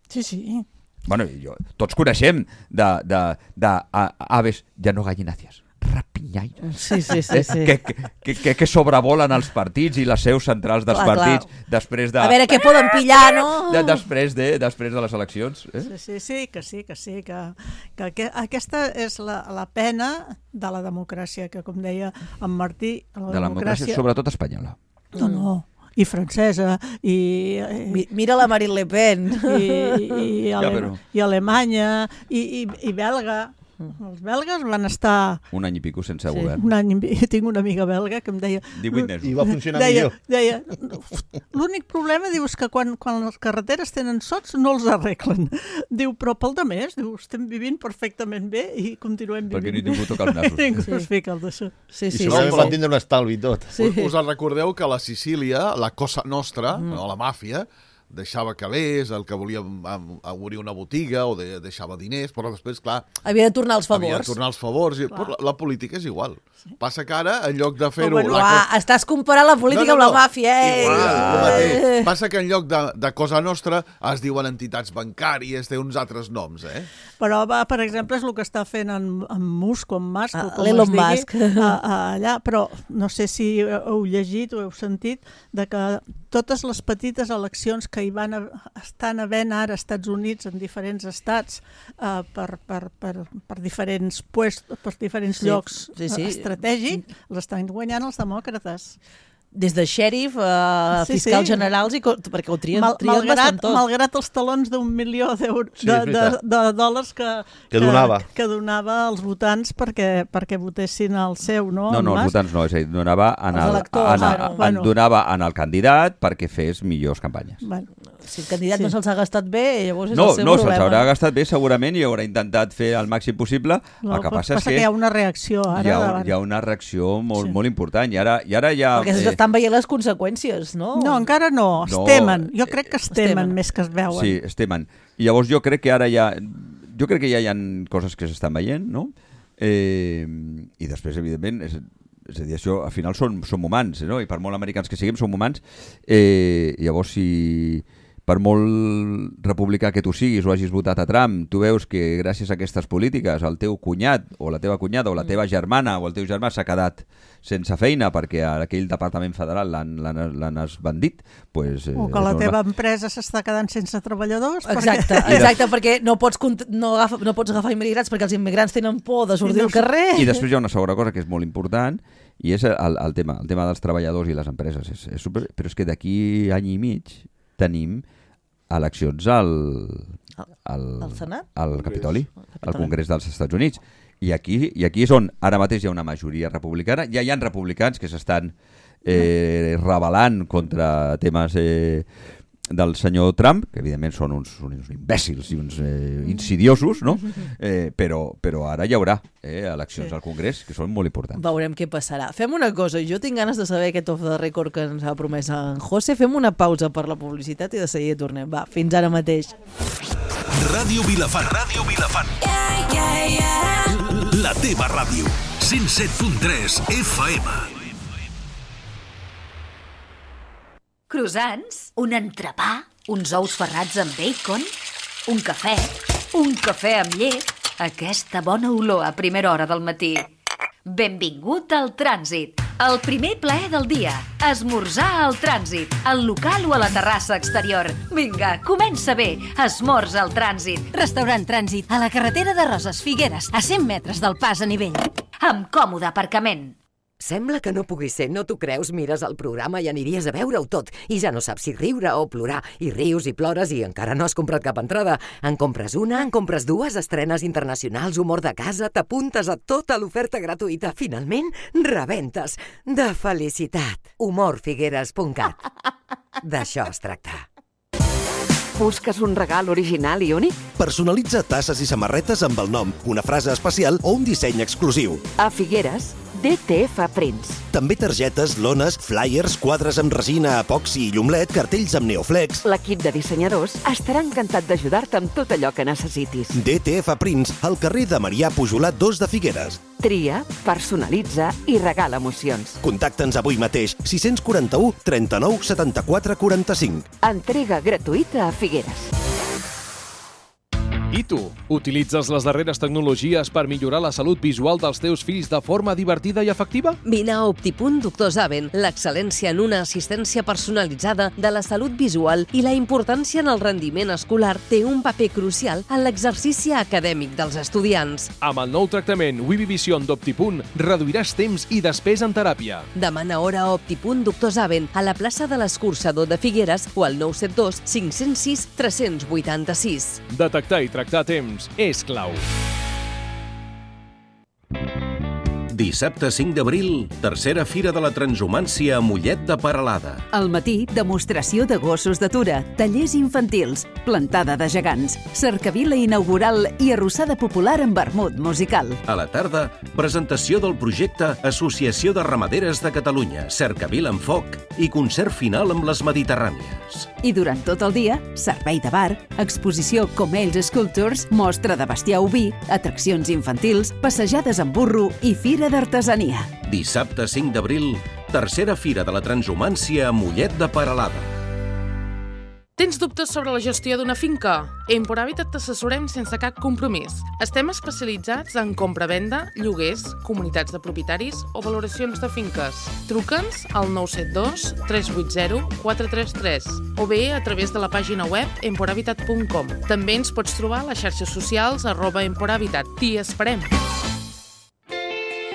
Sí, sí. Bueno, i jo, tots coneixem de, de, de a, aves, ja no gallinàcies, rapinyaires. Sí, sí, sí. sí. Que, que, que, que sobrevolen els partits i les seus centrals dels Clar, partits clar. després de... A veure què poden pillar, no? de, després, de, després de les eleccions. Eh? Sí, sí, sí, que sí, que sí, que, que, que aquesta és la, la pena de la democràcia, que com deia en Martí, la De la democràcia, sobretot espanyola. No, no, i francesa, i... i Mi- Mira la Marine Le Pen. i, i, Ja, Ale però- i Alemanya, i, i, i belga. Els belgues van estar Un any i pico sense Sí. govern. un any... i mig- Tinc una amiga belga que em deia... divuit mesos. I va funcionar deia, millor. deia, l'únic problema, diu, és que quan, quan les carreteres tenen sots no els arreglen. Diu, però pel de més, diu, estem vivint perfectament bé i continuem Perquè vivint ningú toca els nassos. Ningú Sí. es fica el d'això. Sí, I sí, segurament sí. van tindre un estalvi i tot. Sí. Us, us en recordeu que a la Sicília, la Cosa Nostra, mm. no, la màfia, deixava calés, el que volia obrir una botiga o de, deixava diners, però després, clar... Havia de tornar els favors. Havia de tornar els favors. I, però la, la política és igual. Sí. Passa que ara, en lloc de fer-ho... Bueno, la... ah, estàs comparant la política no, no, no. amb la màfia, eh? Igual, eh. Passa que en lloc de, de Cosa Nostra es diuen entitats bancàries, té uns altres noms, eh? Però, va, per exemple, és el que està fent en, en Musk o en Musk, ah, o com Elon es digui, Musk. A, a, allà, però no sé si heu llegit o heu sentit de que totes les petites eleccions que hi van a, estan havent ara als Estats Units, en diferents estats, eh, per, per, per, per diferents puestos, per diferents sí, llocs sí, sí. estratègics, els estan guanyant els demòcrates. Des de xèrif a sí, fiscals sí. generals, i perquè ho trien, Mal, trien malgrat, bastant tot. Malgrat els talons d'un milió sí, de, de, de dòlars que, que, donava. que, que donava als votants perquè, perquè votessin el seu, no? No, no, els votants no, és a dir, donava en el, electors, en, en, bueno. donava en el candidat perquè fes millors campanyes. Bueno. Si el candidat sí. no se'ls ha gastat bé, llavors és no, el seu no, problema. No, se'ls haurà gastat bé segurament i haurà intentat fer el màxim possible. No, el que passa, passa és que, que hi ha una reacció ara. Hi ha, hi ha una reacció molt, sí. molt important. I ara, i ara ja... Perquè eh... estan veient les conseqüències, no? No, encara no. Es no, temen. Jo crec que es temen, temen més que es veuen. Sí, es temen. I llavors jo crec que ara ja... Jo crec que ja hi ha coses que s'estan veient, no? Eh, I després, evidentment... És, és a dir, això al final són, som humans, no? I per molt americans que siguem, som humans. Eh, llavors, si... per molt republicà que tu siguis o hagis votat a Trump, tu veus que gràcies a aquestes polítiques el teu cunyat o la teva cunyada o la teva germana o el teu germà s'ha quedat sense feina perquè aquell departament federal l'han esbandit, pues, o que la teva empresa s'està quedant sense treballadors. Exacte, perquè... exacte perquè no pots, no, agafa, no pots agafar immigrants perquè els immigrants tenen por de sortir no, al carrer. I després hi ha una segona cosa que és molt important i és el, el, tema, el tema dels treballadors i les empreses. És, és super... Però és que d'aquí any i mig tenim eleccions al, al, al Senat? Al Capitoli, al Congrés dels Estats Units. I aquí, I aquí és on ara mateix hi ha una majoria republicana. Ja hi ha republicans que s'estan eh, rebel·lant contra temes eh, del senyor Trump, que evidentment són uns, uns imbècils i uns eh, insidiosos, no? Eh, però, però ara hi haurà eh, eleccions sí. al Congrés que són molt importants. Veurem què passarà. Fem una cosa, jo tinc ganes de saber aquest off the record que ens ha promès en José. Fem una pausa per la publicitat i de seguida tornem. Va, fins ara mateix. Ràdio Vilafant. Ràdio Vilafant. Yeah, yeah, yeah. La teva ràdio. cent set punt tres F M. Croissants, un entrepà, uns ous ferrats amb bacon, un cafè, un cafè amb llet, aquesta bona olor a primera hora del matí. Benvingut al Trànsit, el primer plaer del dia, esmorzar al Trànsit, al local o a la terrassa exterior. Vinga, comença bé, esmorza al Trànsit. Restaurant Trànsit, a la carretera de Roses Figueres, a cent metres del pas a nivell. Amb còmode aparcament. Sembla que no pugui ser, no t'ho creus? Mires el programa i aniries a veure-ho tot i ja no saps si riure o plorar. I rius i plores i encara no has comprat cap entrada. En compres una, en compres dues, estrenes internacionals, humor de casa, t'apuntes a tota l'oferta gratuïta. Finalment, rebentes. De felicitat. humor figueres punt cat. D'això es tracta. Busques un regal original i únic? Personalitza tasses i samarretes amb el nom, una frase especial o un disseny exclusiu. A Figueres, D T F Prints. També targetes, lones, flyers, quadres amb resina, epoxi i llumlet, cartells amb neoflex. L'equip de dissenyadors estarà encantat d'ajudar-te amb tot allò que necessitis. D T F Prints, al carrer de Marià Pujolat dos de Figueres. Tria, personalitza i regala emocions. Contacta'ns avui mateix, sis quatre u, trenta-nou, setanta-quatre, quaranta-cinc. Entrega gratuïta a Figueres. I tu, utilitzes les darreres tecnologies per millorar la salut visual dels teus fills de forma divertida i efectiva? Vine a Optipunt Doctor Zaven, l'excel·lència en una assistència personalitzada de la salut visual i la importància en el rendiment escolar té un paper crucial en l'exercici acadèmic dels estudiants. Amb el nou tractament Wivivision d'Optipunt reduiràs temps i despesa en teràpia. Demana hora a Optipunt Doctor Zaven a la plaça de l'Escurçador de Figueres o al nou set dos, cinc zero sis, tres vuit sis. Detectar i tractar a temps és clau. Dissabte cinc d'abril, tercera Fira de la Transhumància a Mollet de Peralada. Al matí, demostració de gossos d'atura, tallers infantils, plantada de gegants, cercavila inaugural i arrossada popular amb vermut musical. A la tarda, presentació del projecte Associació de Ramaderes de Catalunya, Cercavila en foc i concert final amb les Mediterrànies. I durant tot el dia, servei de bar, exposició Comells Sculptures, mostra de bestiar oví, atraccions infantils, passejades amb burro i fira d'artesania. Dissabte cinc d'abril, tercera Fira de la Transhumància a Mollet de Peralada. Tens dubtes sobre la gestió d'una finca? Empor Habitat t'assessorem sense cap compromís. Estem especialitzats en compra-venda, lloguers, comunitats de propietaris o valoracions de finques. Truca'ns al nou set dos, tres vuit zero, quatre tres tres o bé a través de la pàgina web empor habitat punt com. També ens pots trobar a les xarxes socials arroba emporhabitat. T'hi esperem!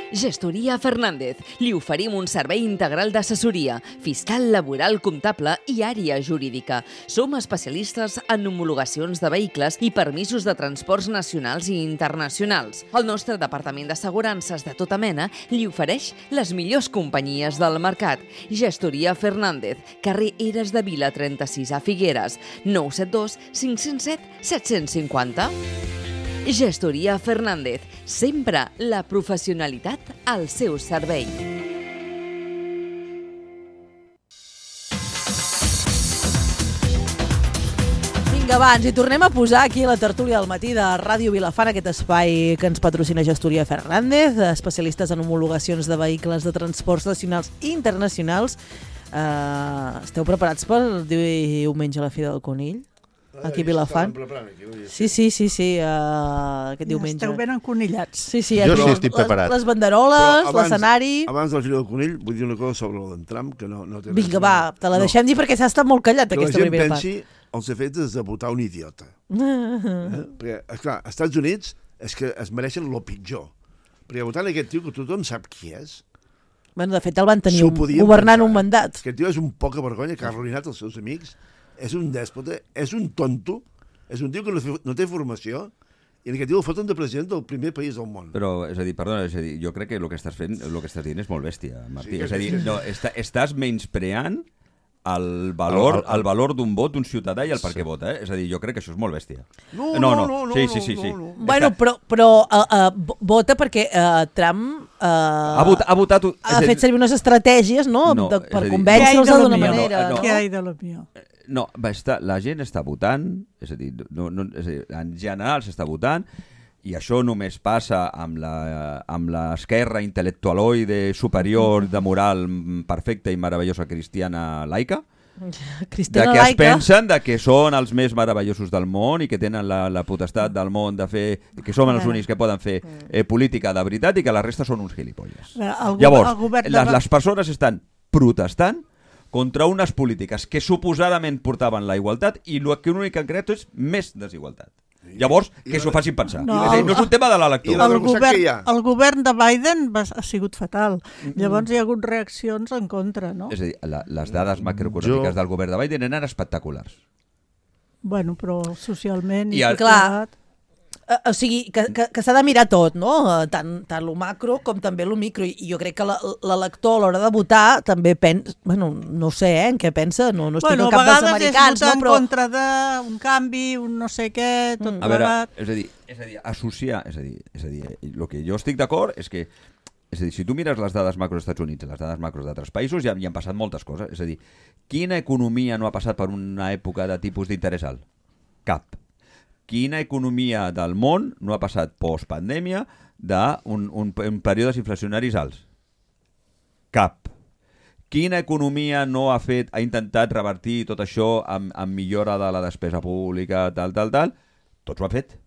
Gestoria Fernández. Li oferim un servei integral d'assessoria, fiscal, laboral, comptable i àrea jurídica. Som especialistes en homologacions de vehicles i permisos de transports nacionals i internacionals. El nostre departament d'assegurances de tota mena li ofereix les millors companyies del mercat. Gestoria Fernández, carrer Eres de Vila trenta-sis a Figueres, nou set dos, cinc zero set, set cinc zero. Gestoria Fernández, sempre la professionalitat al seu servei. Vinga, va, ens hi tornem a posar aquí a la tertúlia del matí de Ràdio Vilafant, aquest espai que ens patrocina Gestoria Fernández, especialistes en homologacions de vehicles de transports nacionals i internacionals. Uh, esteu preparats per diumenge a la Fira del Conill? Aquí a Vilafant. Sí, sí, sí, sí, uh, aquest diumenge. Esteu ben enconillats. Sí, sí, jo sí estic preparat. Les, les banderoles, l'escenari... Abans del Fira del Conill, vull dir una cosa sobre l'entram, que no, no té... Vinga, va, te la deixem no. dir perquè s'ha estat molt callat, que aquesta primera part. Que la gent pensi els efectes de votar un idiota. eh? Perquè, esclar, als Estats Units és que es mereixen lo pitjor. Perquè votant aquest tio que tothom sap qui és... Bueno, de fet el van tenir un, governant pensar. un mandat. Aquest tio és un poca vergonya que ha arruïnat els seus amics. És un dèspota, és un tonto, és un tio que no, no té formació, i en aquest tio el foten de president del primer país del món. Però, és a dir, perdona, és a dir, jo crec que el que estàs fent, el que estàs dient és molt bèstia, Martí. Sí, és a dir, no, està, estàs menyspreant el valor, el, el, el valor d'un vot d'un ciutadà i el per què sí. vota, eh? És a dir, jo crec que això és molt bèstia. No, no, no. no, no sí, sí, sí, sí. No, no. Bueno, però, però uh, uh, vota perquè uh, Trump uh, ha, vot, ha, votat, ha fet servir unes estratègies, no? no de, per convèncer-los d'una manera. No, no. Què hi ha de lo millor? No, va estar, la gent està votant, és a dir, no, no, és a dir, en general s'està votant, i això només passa amb la, amb l'esquerra intel·lectualoide superior de moral perfecta i meravellosa cristiana laica, Cristiana de que laica. es pensen de que són els més meravellosos del món i que tenen la, la potestat del món de fer, que són els únics que poden fer eh, política de veritat i que la resta són uns gilipolles. El, Llavors, el govern de... les, les persones estan protestant contra unes polítiques que suposadament portaven la igualtat i el que únic que han creat és més desigualtat. Llavors, que s'ho facin pensar. No, és dir, no és un tema de la lectura. El govern, el govern de Biden va, ha sigut fatal. Llavors hi ha hagut reaccions en contra, no? És a dir, la, les dades macroeconòmiques jo... del govern de Biden eren espectaculars. Bueno, però socialment... I el... Clar, o sigui, que, que, que s'ha de mirar tot, no? Tant, tant lo macro com també lo micro. I jo crec que l'elector a l'hora de votar també pensa... Bueno, no sé, eh, en què pensa, no, no estic bueno, al cap dels americans. Bueno, a vegades és votar no, però... en contra d'un canvi, un no sé què, tot a veure, plegat. és a dir, és a dir, associar... És a dir, és a dir, el que jo estic d'acord és que és a dir, si tu mires les dades macro dels Estats Units i les dades macro d'altres països, ja hi han passat moltes coses. És a dir, quina economia no ha passat per una època de tipus d'interès alt? Cap. Quina economia del món no ha passat postpandèmia d'un un, un períodes inflacionaris alts? Cap. Quina economia no ha fet, ha intentat revertir tot això amb, amb millora de la despesa pública, tal, tal, tal? Tots ho han fet.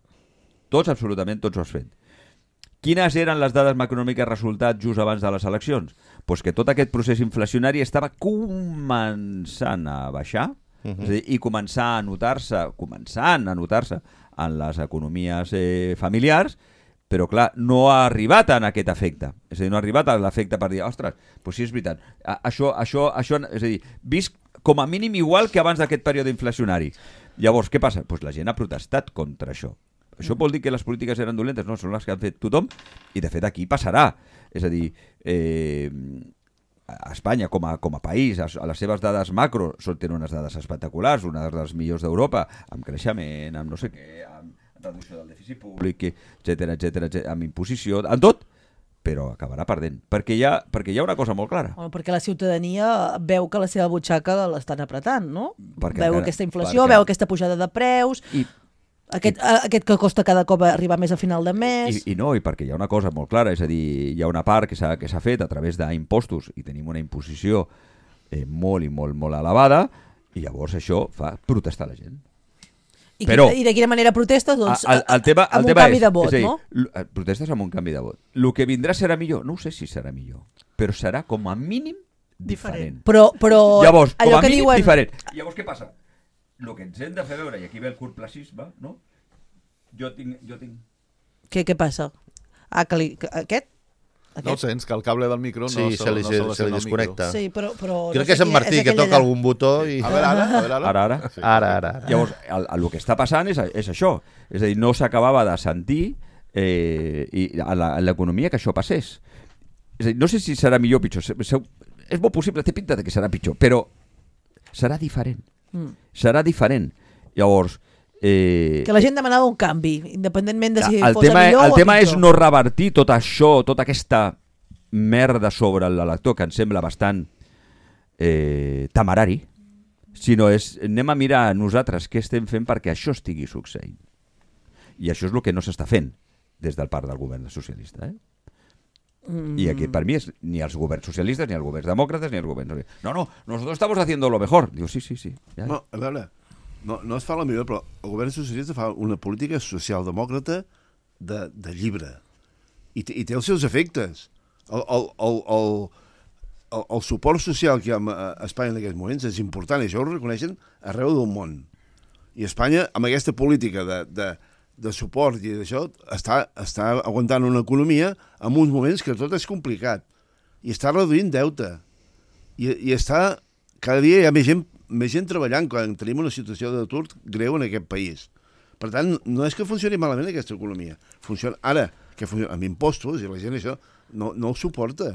Tots, absolutament, tots ho has fet. Quines eren les dades macroeconòmiques resultats just abans de les eleccions? Pues que tot aquest procés inflacionari estava començant a baixar, Uh-huh. És a dir, i començar a notar-se, començant a notar-se en les economies eh, familiars, però clar, no ha arribat en aquest efecte. És a dir, no ha arribat a l'efecte per dir, ostres, doncs sí, és veritat, a, això, això, això, és a dir, visc com a mínim igual que abans d'aquest període inflacionari. Llavors, què passa? Doncs la gent ha protestat contra això. Això vol dir que les polítiques eren dolentes? No, són les que han fet tothom, i de fet aquí passarà. És a dir, eh, a Espanya com a, com a país, a, a les seves dades macro, són, tenen unes dades espectaculars, una de les millors d'Europa, amb creixement, amb no sé què, amb reducció del dèficit públic, etcètera, etcètera, etcètera, amb imposició, en tot, però acabarà perdent. Perquè hi ha, perquè hi ha una cosa molt clara. Bueno, perquè la ciutadania veu que la seva butxaca l'estan apretant, no? Perquè veu encara, aquesta inflació, perquè... veu aquesta pujada de preus... I... Aquest, aquest que costa cada cop arribar més a final de mes... I, I no, i perquè hi ha una cosa molt clara, és a dir, hi ha una part que s'ha que s'ha fet a través d'impostos i tenim una imposició eh, molt i molt, molt elevada, i llavors això fa protestar la gent. I, Però, I de quina manera protestes? Doncs el, el tema, amb el un tema canvi és, de vot, és dir, no? Protestes amb un canvi de vot. El que vindrà serà millor? No ho sé si serà millor, però serà com a mínim diferent. Però, però llavors, com allò a que mínim diuen... diferent. Llavors, què passa? El que ens hem de fer veure, i aquí ve el curtplacisme, no? Jo tinc... Jo tinc... Què, què passa? Ah, que li... que, aquest? Aquest? No el sents, que el cable del micro no sí, se, se, li, no se, se, se li desconnecta. Sí, però, però Crec no que és en Martí, és que toca allà. algun botó i... A veure, ara, a veure, ara. Ara, ara. Sí. Ara, ara, ara. Llavors, el, el, el que està passant és, és això. És a dir, no s'acabava de sentir eh, i a l'economia que això passés. És a dir, no sé si serà millor o pitjor. És molt possible, té pinta de que serà pitjor, però serà diferent. Mm. Serà diferent. Llavors... Eh, que la gent demanava un canvi, independentment de si el fos tema, millor el o tema pitjor. és no revertir tot això, tota aquesta merda sobre l'elector, que em sembla bastant eh, temerari, sinó és, anem a mirar nosaltres què estem fent perquè això estigui succeint. I això és el que no s'està fent des del part del govern socialista, eh? Mm. Y aquí para mí es ni els governs socialistes, ni els governs demòcrates, ni els governs... No, no, nosotros estamos haciendo lo mejor. Digo, sí, sí, sí. Ja. No, a veure, no, no es fa la millor, però el govern socialista fa una política socialdemòcrata de, de llibre. I, I té els seus efectes. El, el, el, el, el, el suport social que hi ha a Espanya en aquests moments és important, i això ho reconeixen arreu del món. I Espanya, amb aquesta política de... de de suport i d'això, està, està aguantant una economia en uns moments que tot és complicat. I està reduint deute. I, i està... Cada dia hi ha més gent, més gent treballant quan tenim una situació d'atur greu en aquest país. Per tant, no és que funcioni malament aquesta economia. Funciona ara, que funciona amb impostos, i la gent això no, no ho suporta.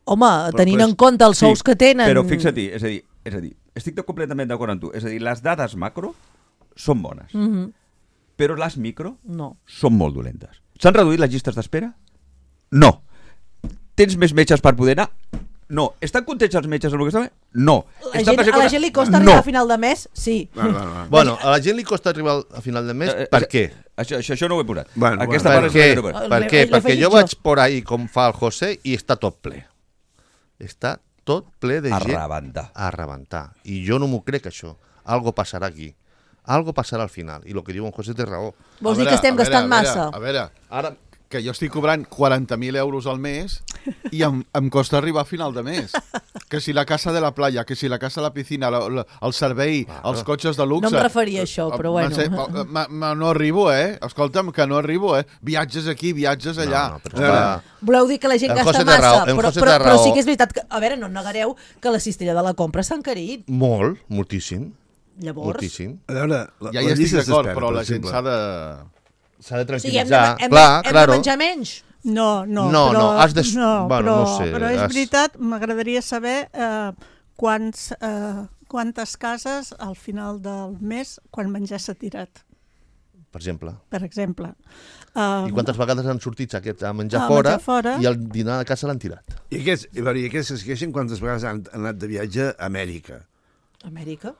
Home, però, tenint però és... en compte els sous sí, que tenen... Però fixa-t'hi, és a dir, és a dir, estic completament d'acord amb tu. És a dir, les dades macro són bones. Mm-hmm. Però les micro no. són molt dolentes. S'han reduït les llistes d'espera? No. Tens més metges per poder anar? No. Estan contents els metges amb el que estan? No. La gent, a la gent li costa arribar no. a final de mes? Sí. No, no, no. Bueno, a la gent li costa arribar a final de mes, eh, per eh, què? Això, això, això no ho he posat. Bueno, Aquesta bueno, per, què? No per què? Perquè jo vaig por ahí com fa el José i està tot ple. Està tot ple de a gent. A rebentar. A rebentar. I jo no m'ho crec, això. Algo passarà aquí. Algo passarà al final, i el que diu en José té raó. Vols dir que estem veure, gastant a veure, massa? A veure, ara que jo estic cobrant quaranta mil euros al mes i em, em costa arribar a final de mes. Que si la casa de la playa, que si la casa de la piscina, la, la, el servei, ah, els cotxes de luxe... No em referia a això, però bueno. Sé, ma, ma, no arribo, eh? Escolta'm, que no arribo, eh? Viatges aquí, viatges allà. No, no, però està... Voleu dir que la gent el gasta massa, raó, però, però, però sí que és veritat que... A veure, no negareu que la cistella de la compra s'ha encarit. Molt, moltíssim. Llavors... Moltíssim. A veure, la, ja hi estic d'acord, però la gent s'ha de... S'ha de tranquil·litzar. Sí, hem de, hem, clar, hem claro. de menjar menys? No, no, no, però, no, has de... no, bueno, però, no sé, però és has... veritat, m'agradaria saber eh, quants, eh, quantes cases al final del mes quan menjar s'ha tirat. Per exemple. Per exemple. Um, I quantes vegades han sortit aquests a menjar, a fora, menjar fora i al dinar a casa l'han tirat. I aquests, i aquests es queixen quantes vegades han anat de viatge a Amèrica. Amèrica?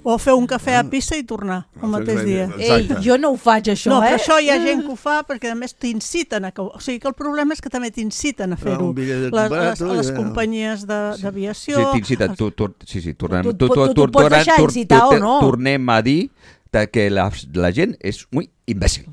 O fer un cafè a Pisa i tornar el mateix dia. Ei, jo no ho faig, això, no, eh? No, però això hi ha gent que ho fa perquè, a més, t'inciten a... O sigui que el problema és que també t'inciten a fer-ho. Les, les, les companyies d'aviació... Sí, t'inciten. Tu, tu, sí, sí, tornem, tu, tu, tu, tu, tu pots deixar incitar o no? Tornem a dir que la, la gent és muy imbècil.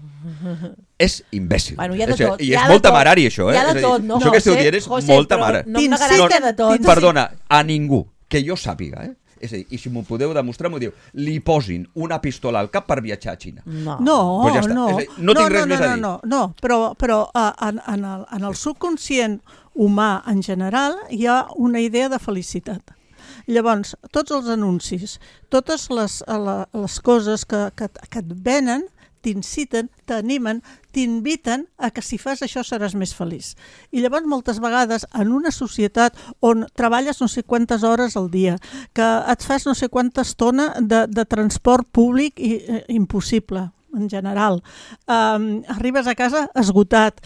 És imbècil. Bueno, hi ha de tot. I és molt temerari, això, eh? Hi ha de tot, no? Això que esteu dient és molt temerari. No em negaràs de tot. Perdona, a ningú, que jo sàpiga, eh? És a dir, i si m'ho podeu demostrar, m'ho diu, li posin una pistola al cap per viatjar a Xina. No, no, pues ja no. Dir, no tinc no, res no, més no, a dir. No, no, però, però en, en, el, en el subconscient humà en general hi ha una idea de felicitat. Llavors, tots els anuncis, totes les, les coses que, que, que et venen t'inciten, t'animen, t'inviten a que si fas això seràs més feliç. I llavors moltes vegades en una societat on treballes no sé quantes hores al dia, que et fas no sé quanta estona de, de transport públic i, eh, impossible, en general, um, arribes a casa esgotat,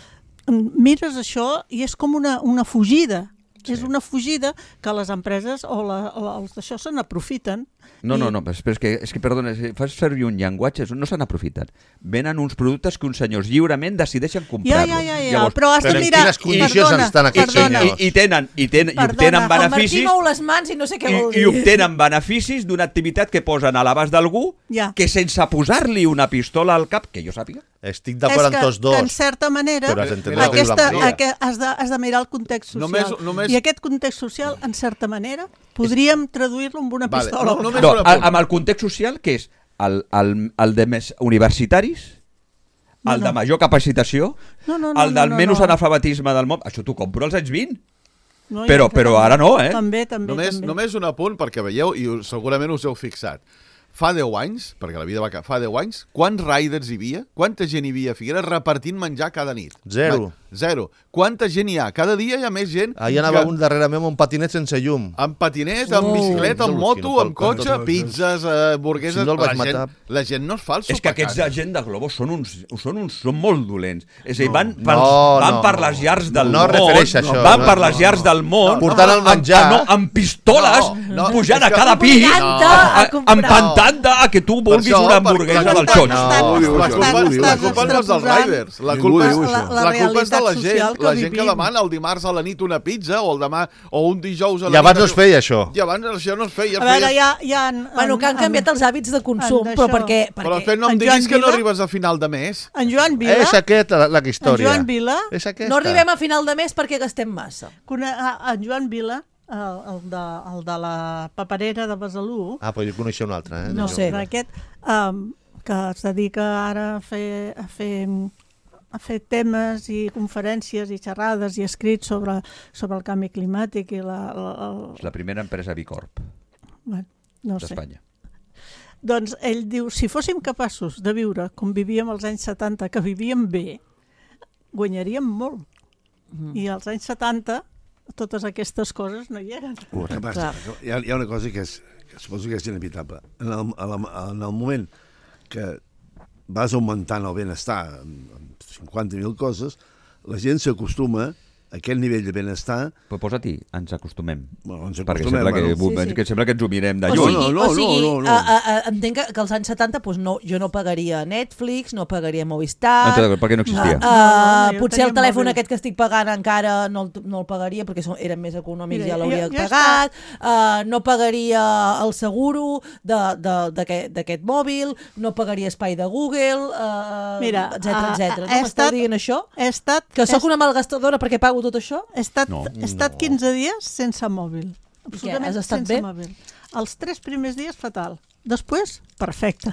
mires això i és com una, una fugida. Sí. És una fugida que les empreses o, la, o els d'això se n'aprofiten. No, I... no, no, però és que, és que perdona, fas servir un llenguatge, no se n'aprofiten. Venen uns productes que uns senyors lliurement decideixen comprar-los. Ja, ja, ja, ja. Llavors, però has de mirar... En quines condicions perdona, estan aquests senyors? I, i tenen, i tenen, i obtenen beneficis... El Martí mou les mans i no sé què vol dir. I, i obtenen beneficis d'una activitat que posen a l'abast d'algú ja. que sense posar-li una pistola al cap, que jo sàpiga. Estic d'acord amb tots dos. És que, en certa manera, aquesta, aquesta, has, de, has de mirar el context social. Només, només... I aquest context social, en certa manera, podríem traduir-lo amb una vale, pistola. No, no, no, amb el context social, que és el, el, el de més universitaris, el no, no. de major capacitació, no, no, no, el del no, no, menys no. analfabetisme del món. Això t'ho compro als anys vint. No, però però també, ara no, eh? També, també, només, també. Només un apunt, perquè veieu, i segurament us heu fixat. Fa deu anys, perquè la vida va fa deu anys, quants riders hi havia? Quanta gent hi havia a Figueres repartint menjar cada nit? Zero. Zero. Quanta gent hi ha? Cada dia hi ha més gent. Ahir anava que... un darrerament amb un patinet sense llum. Amb patinet, amb oh, bicicleta, amb moto, amb cotxe, pizzas, uh, burgueses... Si no el vaig la, gent, matar. la gent no es fa el És que aquests gent de Globo són uns, són uns són molt dolents. És a dir, van, no, per, no, van no, per les llars del no món, refereix a això, van no, per les no, llars no. del món, portant el menjar, amb, no, amb pistoles, no, no, pujant a que... cada pis, no. empantant-te a que tu vulguis una hamburguesa del xot. La culpa no és dels riders. La culpa és de la gent. La gent que demana el dimarts a la nit una pizza o el demà o un dijous a la nit... I abans no es feia això. I abans això no es feia. A veure, ja... ja en, bueno, que han canviat els hàbits de consum, però perquè... Però després no em diguis que no arribes a final de mes. En Joan Vila... És aquesta la, la història. En Joan Vila... És aquesta. No arribem a final de mes perquè gastem massa. En Joan Vila, el, el, de, el de la paperera de Besalú... Ah, però jo coneixia un altre, eh? No sé. Aquest, um, que es dedica ara a fer... A fer a fer temes i conferències i xerrades i escrits sobre, sobre el canvi climàtic i la... la, la... És la primera empresa Bicorp bueno, no d'Espanya. Doncs ell diu, si fóssim capaços de viure com vivíem als anys setanta, que vivíem bé, guanyaríem molt. Mm. I als anys setanta totes aquestes coses no hi eren. Uh, passa, hi, ha, hi ha una cosa que, és, que suposo que és inevitable. En el, en el moment que vas augmentant el benestar amb cinquanta mil coses, la gent s'acostuma a aquest nivell de benestar... Però posa-t'hi, ens acostumem. Bueno, ens perquè acostumem, sembla, que, bueno. sí, sí. que sembla que ens ho mirem de o lluny. Sigui, no, no, o sigui, no, no, no. A, a, entenc que, que als anys setanta pues no, jo no pagaria Netflix, no pagaria Movistar... No, perquè no existia. Uh, uh, no, potser el telèfon mòbil. Aquest que estic pagant encara no el, no el pagaria perquè són, eren més econòmics, Mira, ja l'hauria ja, ja pagat. Uh, no pagaria el seguro d'aquest mòbil, no pagaria espai de Google, uh, Mira, etcètera, etcètera. No m'esteu dient això? He estat, que sóc una malgastadora perquè pago tot això? He estat, no, he estat quinze dies sense mòbil. Absolutament has estat sense bé? Mòbil. Els tres primers dies, fatal. Després, perfecte.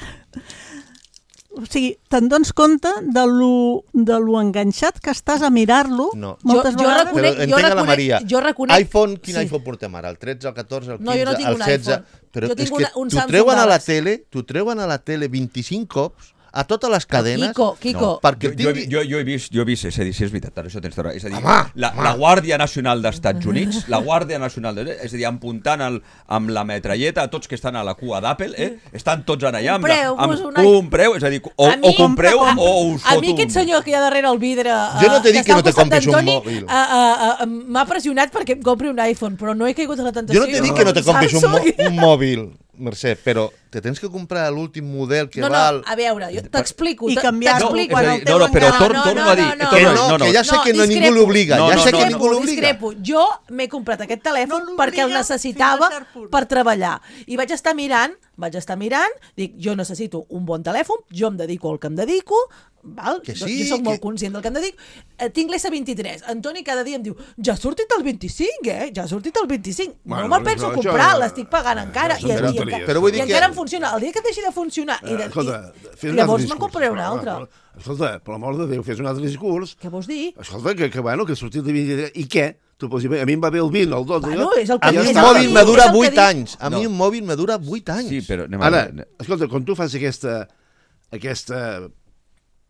O sigui, te'n dones compte de lo, de lo enganxat que estàs a mirar-lo no. moltes jo, jo vegades. Reconec, però entenc a la Maria. Jo reconec... iPhone, quin sí. iPhone portem ara? El tretze, el catorze, el quinze, no, jo no tinc el setze? Un però jo és que una, un t'ho treuen a la tele, t'ho treuen a la tele vint-i-cinc cops, a totes les cadenes... Kiko, Kiko. No, perquè jo, tingui... jo, jo, he vist, jo he vist, és a dir, si és veritat, això tens raó. És a dir, home, la, home. la Guàrdia Nacional d'Estats Units, la Guàrdia Nacional de, és a dir, apuntant el, amb la metralleta a tots que estan a la cua d'Apple, eh? Estan tots en allà amb, amb, amb una... compreu, és a dir, o, mi, o compreu a, o us a foto mi aquest senyor que hi ha darrere el vidre uh, jo no t'he dit que, que no te compris un mòbil. Uh, uh, uh, m'ha pressionat perquè em compri un iPhone, però no he caigut a la tentació. Jo no t'he dit que no te compris un, un mòbil, Mercè, però te tens que comprar l'últim model que no, val... No, a veure, jo t'explico. I canviar-lo no, quan el teu no, no, però tor no, torno no, a dir... no, no, que no, no, no, que ja sé no, que no discrepo, ningú l'obliga, no, ja no, sé no, que no, ningú l'obliga. Discrepo. Jo m'he comprat aquest telèfon no perquè el necessitava per treballar. I vaig estar mirant, vaig estar mirant, dic, jo necessito un bon telèfon, jo em dedico al que em dedico, val? Que sí, jo soc que... molt conscient del que em dedico, eh, tinc l'S vint-i-tres. Antoni cada dia em diu, ja ha sortit el vint-i-cinc, eh? Ja ha sortit el vint-i-cinc. Bueno, no me'l penso això, comprar, això, l'estic pagant encara. I, i, i, i, però vull dir i que... encara em funciona. El dia que deixi de funcionar, i, de, Escolta, i llavors me'n compraré un altre. Escolta, per l'amor de Déu, fes un altre discurs. Què vols dir? Escolta, que, que bueno, que ha sortit el vint-i-tres. I què? Tu pots dir, a mi em va bé el vint, el dotze... Bueno, és el que, a mi és un el mòbil que me dura dic, vuit anys. A mi No. un mòbil me dura vuit anys. Sí, però anem a... Ara, escolta, quan tu fas aquesta, aquesta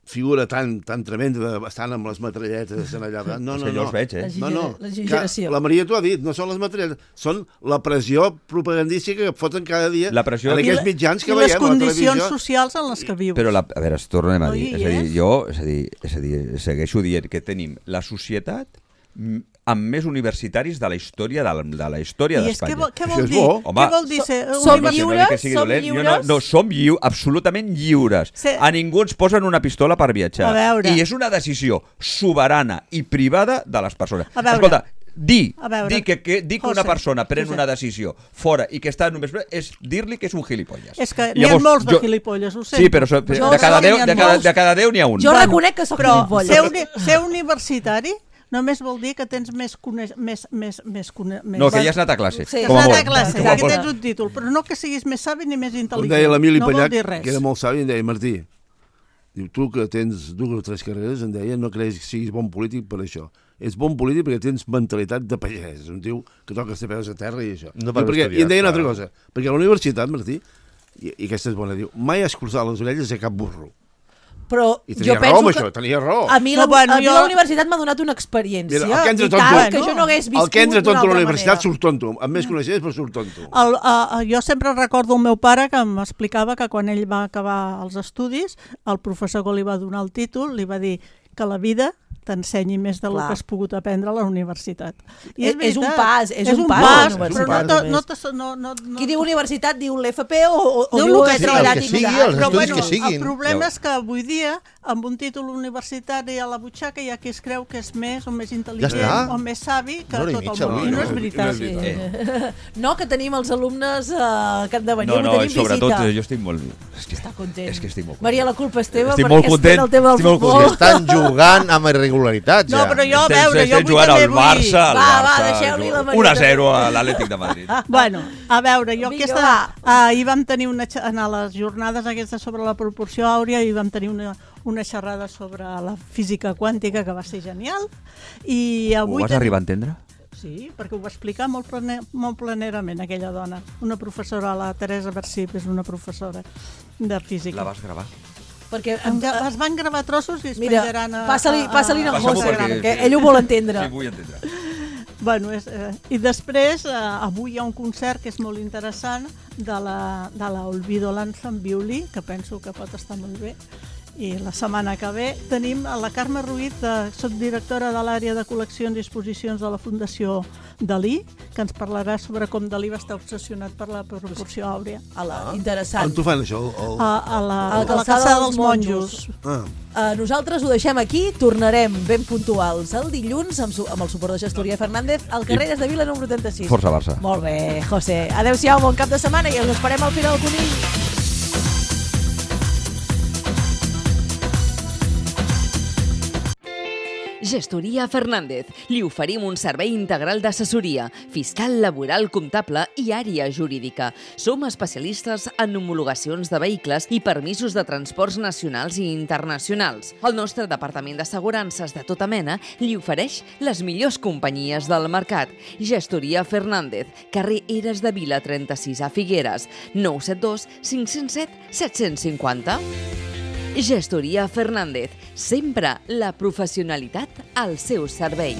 figura tan, tan tremenda, de, estan amb les metralletes en allà. No, no, És que jo no. els veig, eh? No, no. La exageració. La Maria t'ho ha dit, no són les metralletes, són la pressió propagandística que foten cada dia La pressió... en aquests mitjans que I veiem les a la condicions televisió. socials en les que vius. Però, la, a veure, es tornem a No dir. hi És a dir, és? jo és a dir, és a dir, segueixo dient que tenim la societat mm, amb més universitaris de la història de la, de la història I és d'Espanya. què vol, què vol dir? Home, què vol dir ser som universitari? lliures? que sigui Som dolent. Jo lliures? No, no, som lliu, absolutament lliures. Se- A ningú ens posen una pistola per viatjar. A veure. I és una decisió soberana i privada de les persones. A veure. Escolta, dir, A veure. dir que, que, dir que una José, persona pren José. una decisió fora i que està només... és dir-li que és un gilipolles. És que I n'hi ha llavors, molts de jo- gilipolles, ho sento. Sí, però so, Jo de, cada sé que deu, n'hi ha de, cada, molts. de cada deu n'hi ha un. Jo reconec que sóc Però gilipolles. ser, uni, ser universitari només vol dir que tens més... Coneix, més, més, més, cone, més No, que ja has anat a classe. Sí. Que com a has anat molt. a classe, Com a que molt. tens un títol, però no que siguis més savi ni més Com intel·ligent. deia l'Emili no vol Panyac, dir res. que era molt savi, em deia, Martí, diu, tu que tens dues o tres carreres, em deia, no creus que siguis bon polític per això. És bon polític perquè tens mentalitat de pagès. És un tio que toca els peus a terra i això. No I, per perquè, estudiar, I em deia una clar. altra cosa, perquè a la universitat, Martí, i, i aquesta és bona, diu, mai has cruzat les orelles a cap burro. Però I jo tenia penso raó amb que... això, tenia raó. A mi, No, la, bueno, a mi jo- la universitat m'ha donat una experiència Mira, el que entra i tonto, tal, que jo no hagués viscut el que entra d'una tonto a la altra universitat manera. surt tonto. Amb més coneixements, però surt tonto. El, uh, jo sempre recordo el meu pare que m'explicava que quan ell va acabar els estudis, el professor que li va donar el títol li va dir que la vida t'ensenyi més del Clar. que has pogut aprendre a la universitat. I És- és un veritat, pas, és un pas, pas, la però universitat, no, només. no, te- no, no, no, Qui diu universitat diu l'F P o, o, o Diu diu el que haver sigui, treballat el que i sigui, mirat. els Però estudis bueno, que siguin. el problema és que avui dia, amb un títol universitari a la butxaca, hi ha qui es creu que és més o més intel·ligent Ja està. o més savi que Una hora i tot mitja, el món. avui, I no no? és veritat. No és Eh. No, que tenim els alumnes eh, que han de venir, No, no, avui i tenim sobretot visita. eh, jo estic molt... És que, Està content. és que estic molt Maria, la culpa és teva Estic perquè molt espera content, el tema del estic molt futbol. Que estan jugant amb irregularitats, No, ja. però jo, a Estem- veure, jo estem avui jugant també al vull... Barça, al Va, va, Barça, deixeu-li la Maria un a zero a l'Atlètic de Madrid. Bueno, a veure, jo Vinga, aquesta... va. Ahir vam tenir una... xa- En les jornades aquestes sobre la proporció àurea i vam tenir una, una xerrada sobre la física quàntica que va ser genial. I Ho avui vas tenim- arribar a entendre? Sí, perquè ho va explicar molt, plane, molt planerament aquella dona. Una professora, la Teresa Versip, és una professora de física. La vas gravar? Perquè Em, es van gravar trossos i es Mira, penjaran a... passa-li a- passa-li a- a a Passa-m'ho José, Instagram. que ell ho vol entendre. Sí, vull entendre. Bueno, és, eh, I després, eh, avui hi ha un concert que és molt interessant de la, de la Olvido Lanza en violí, que penso que pot estar molt bé. I la setmana que ve tenim a la Carme Ruiz, de, soc directora de l'àrea de col·leccions i exposicions de la Fundació Dalí, que ens parlarà sobre com Dalí va estar obsessionat per la proporció àurea. A la, On interessant. t'ho fan, això? El... A, a, la, A la a la calçada calçada dels dels monjos. Ah. Uh, nosaltres ho deixem aquí, tornarem ben puntuals el dilluns amb, su amb el suport de Gestoria Fernández al carrer Des de Vila número trenta-sis. Força Barça. Molt bé, José. Adéu-siau, bon cap de setmana i us esperem al final del Conill. Gestoria Fernández. Li oferim un servei integral d'assessoria, fiscal, laboral, comptable i àrea jurídica. Som especialistes en homologacions de vehicles i permisos de transports nacionals i internacionals. El nostre departament d'assegurances de tota mena li ofereix les millors companyies del mercat. Gestoria Fernández, carrer Eres de Vila trenta-sis a Figueres, nou set dos cinc zero set set cinquanta. Gestoria Fernández, sempre la professionalitat al seu servei.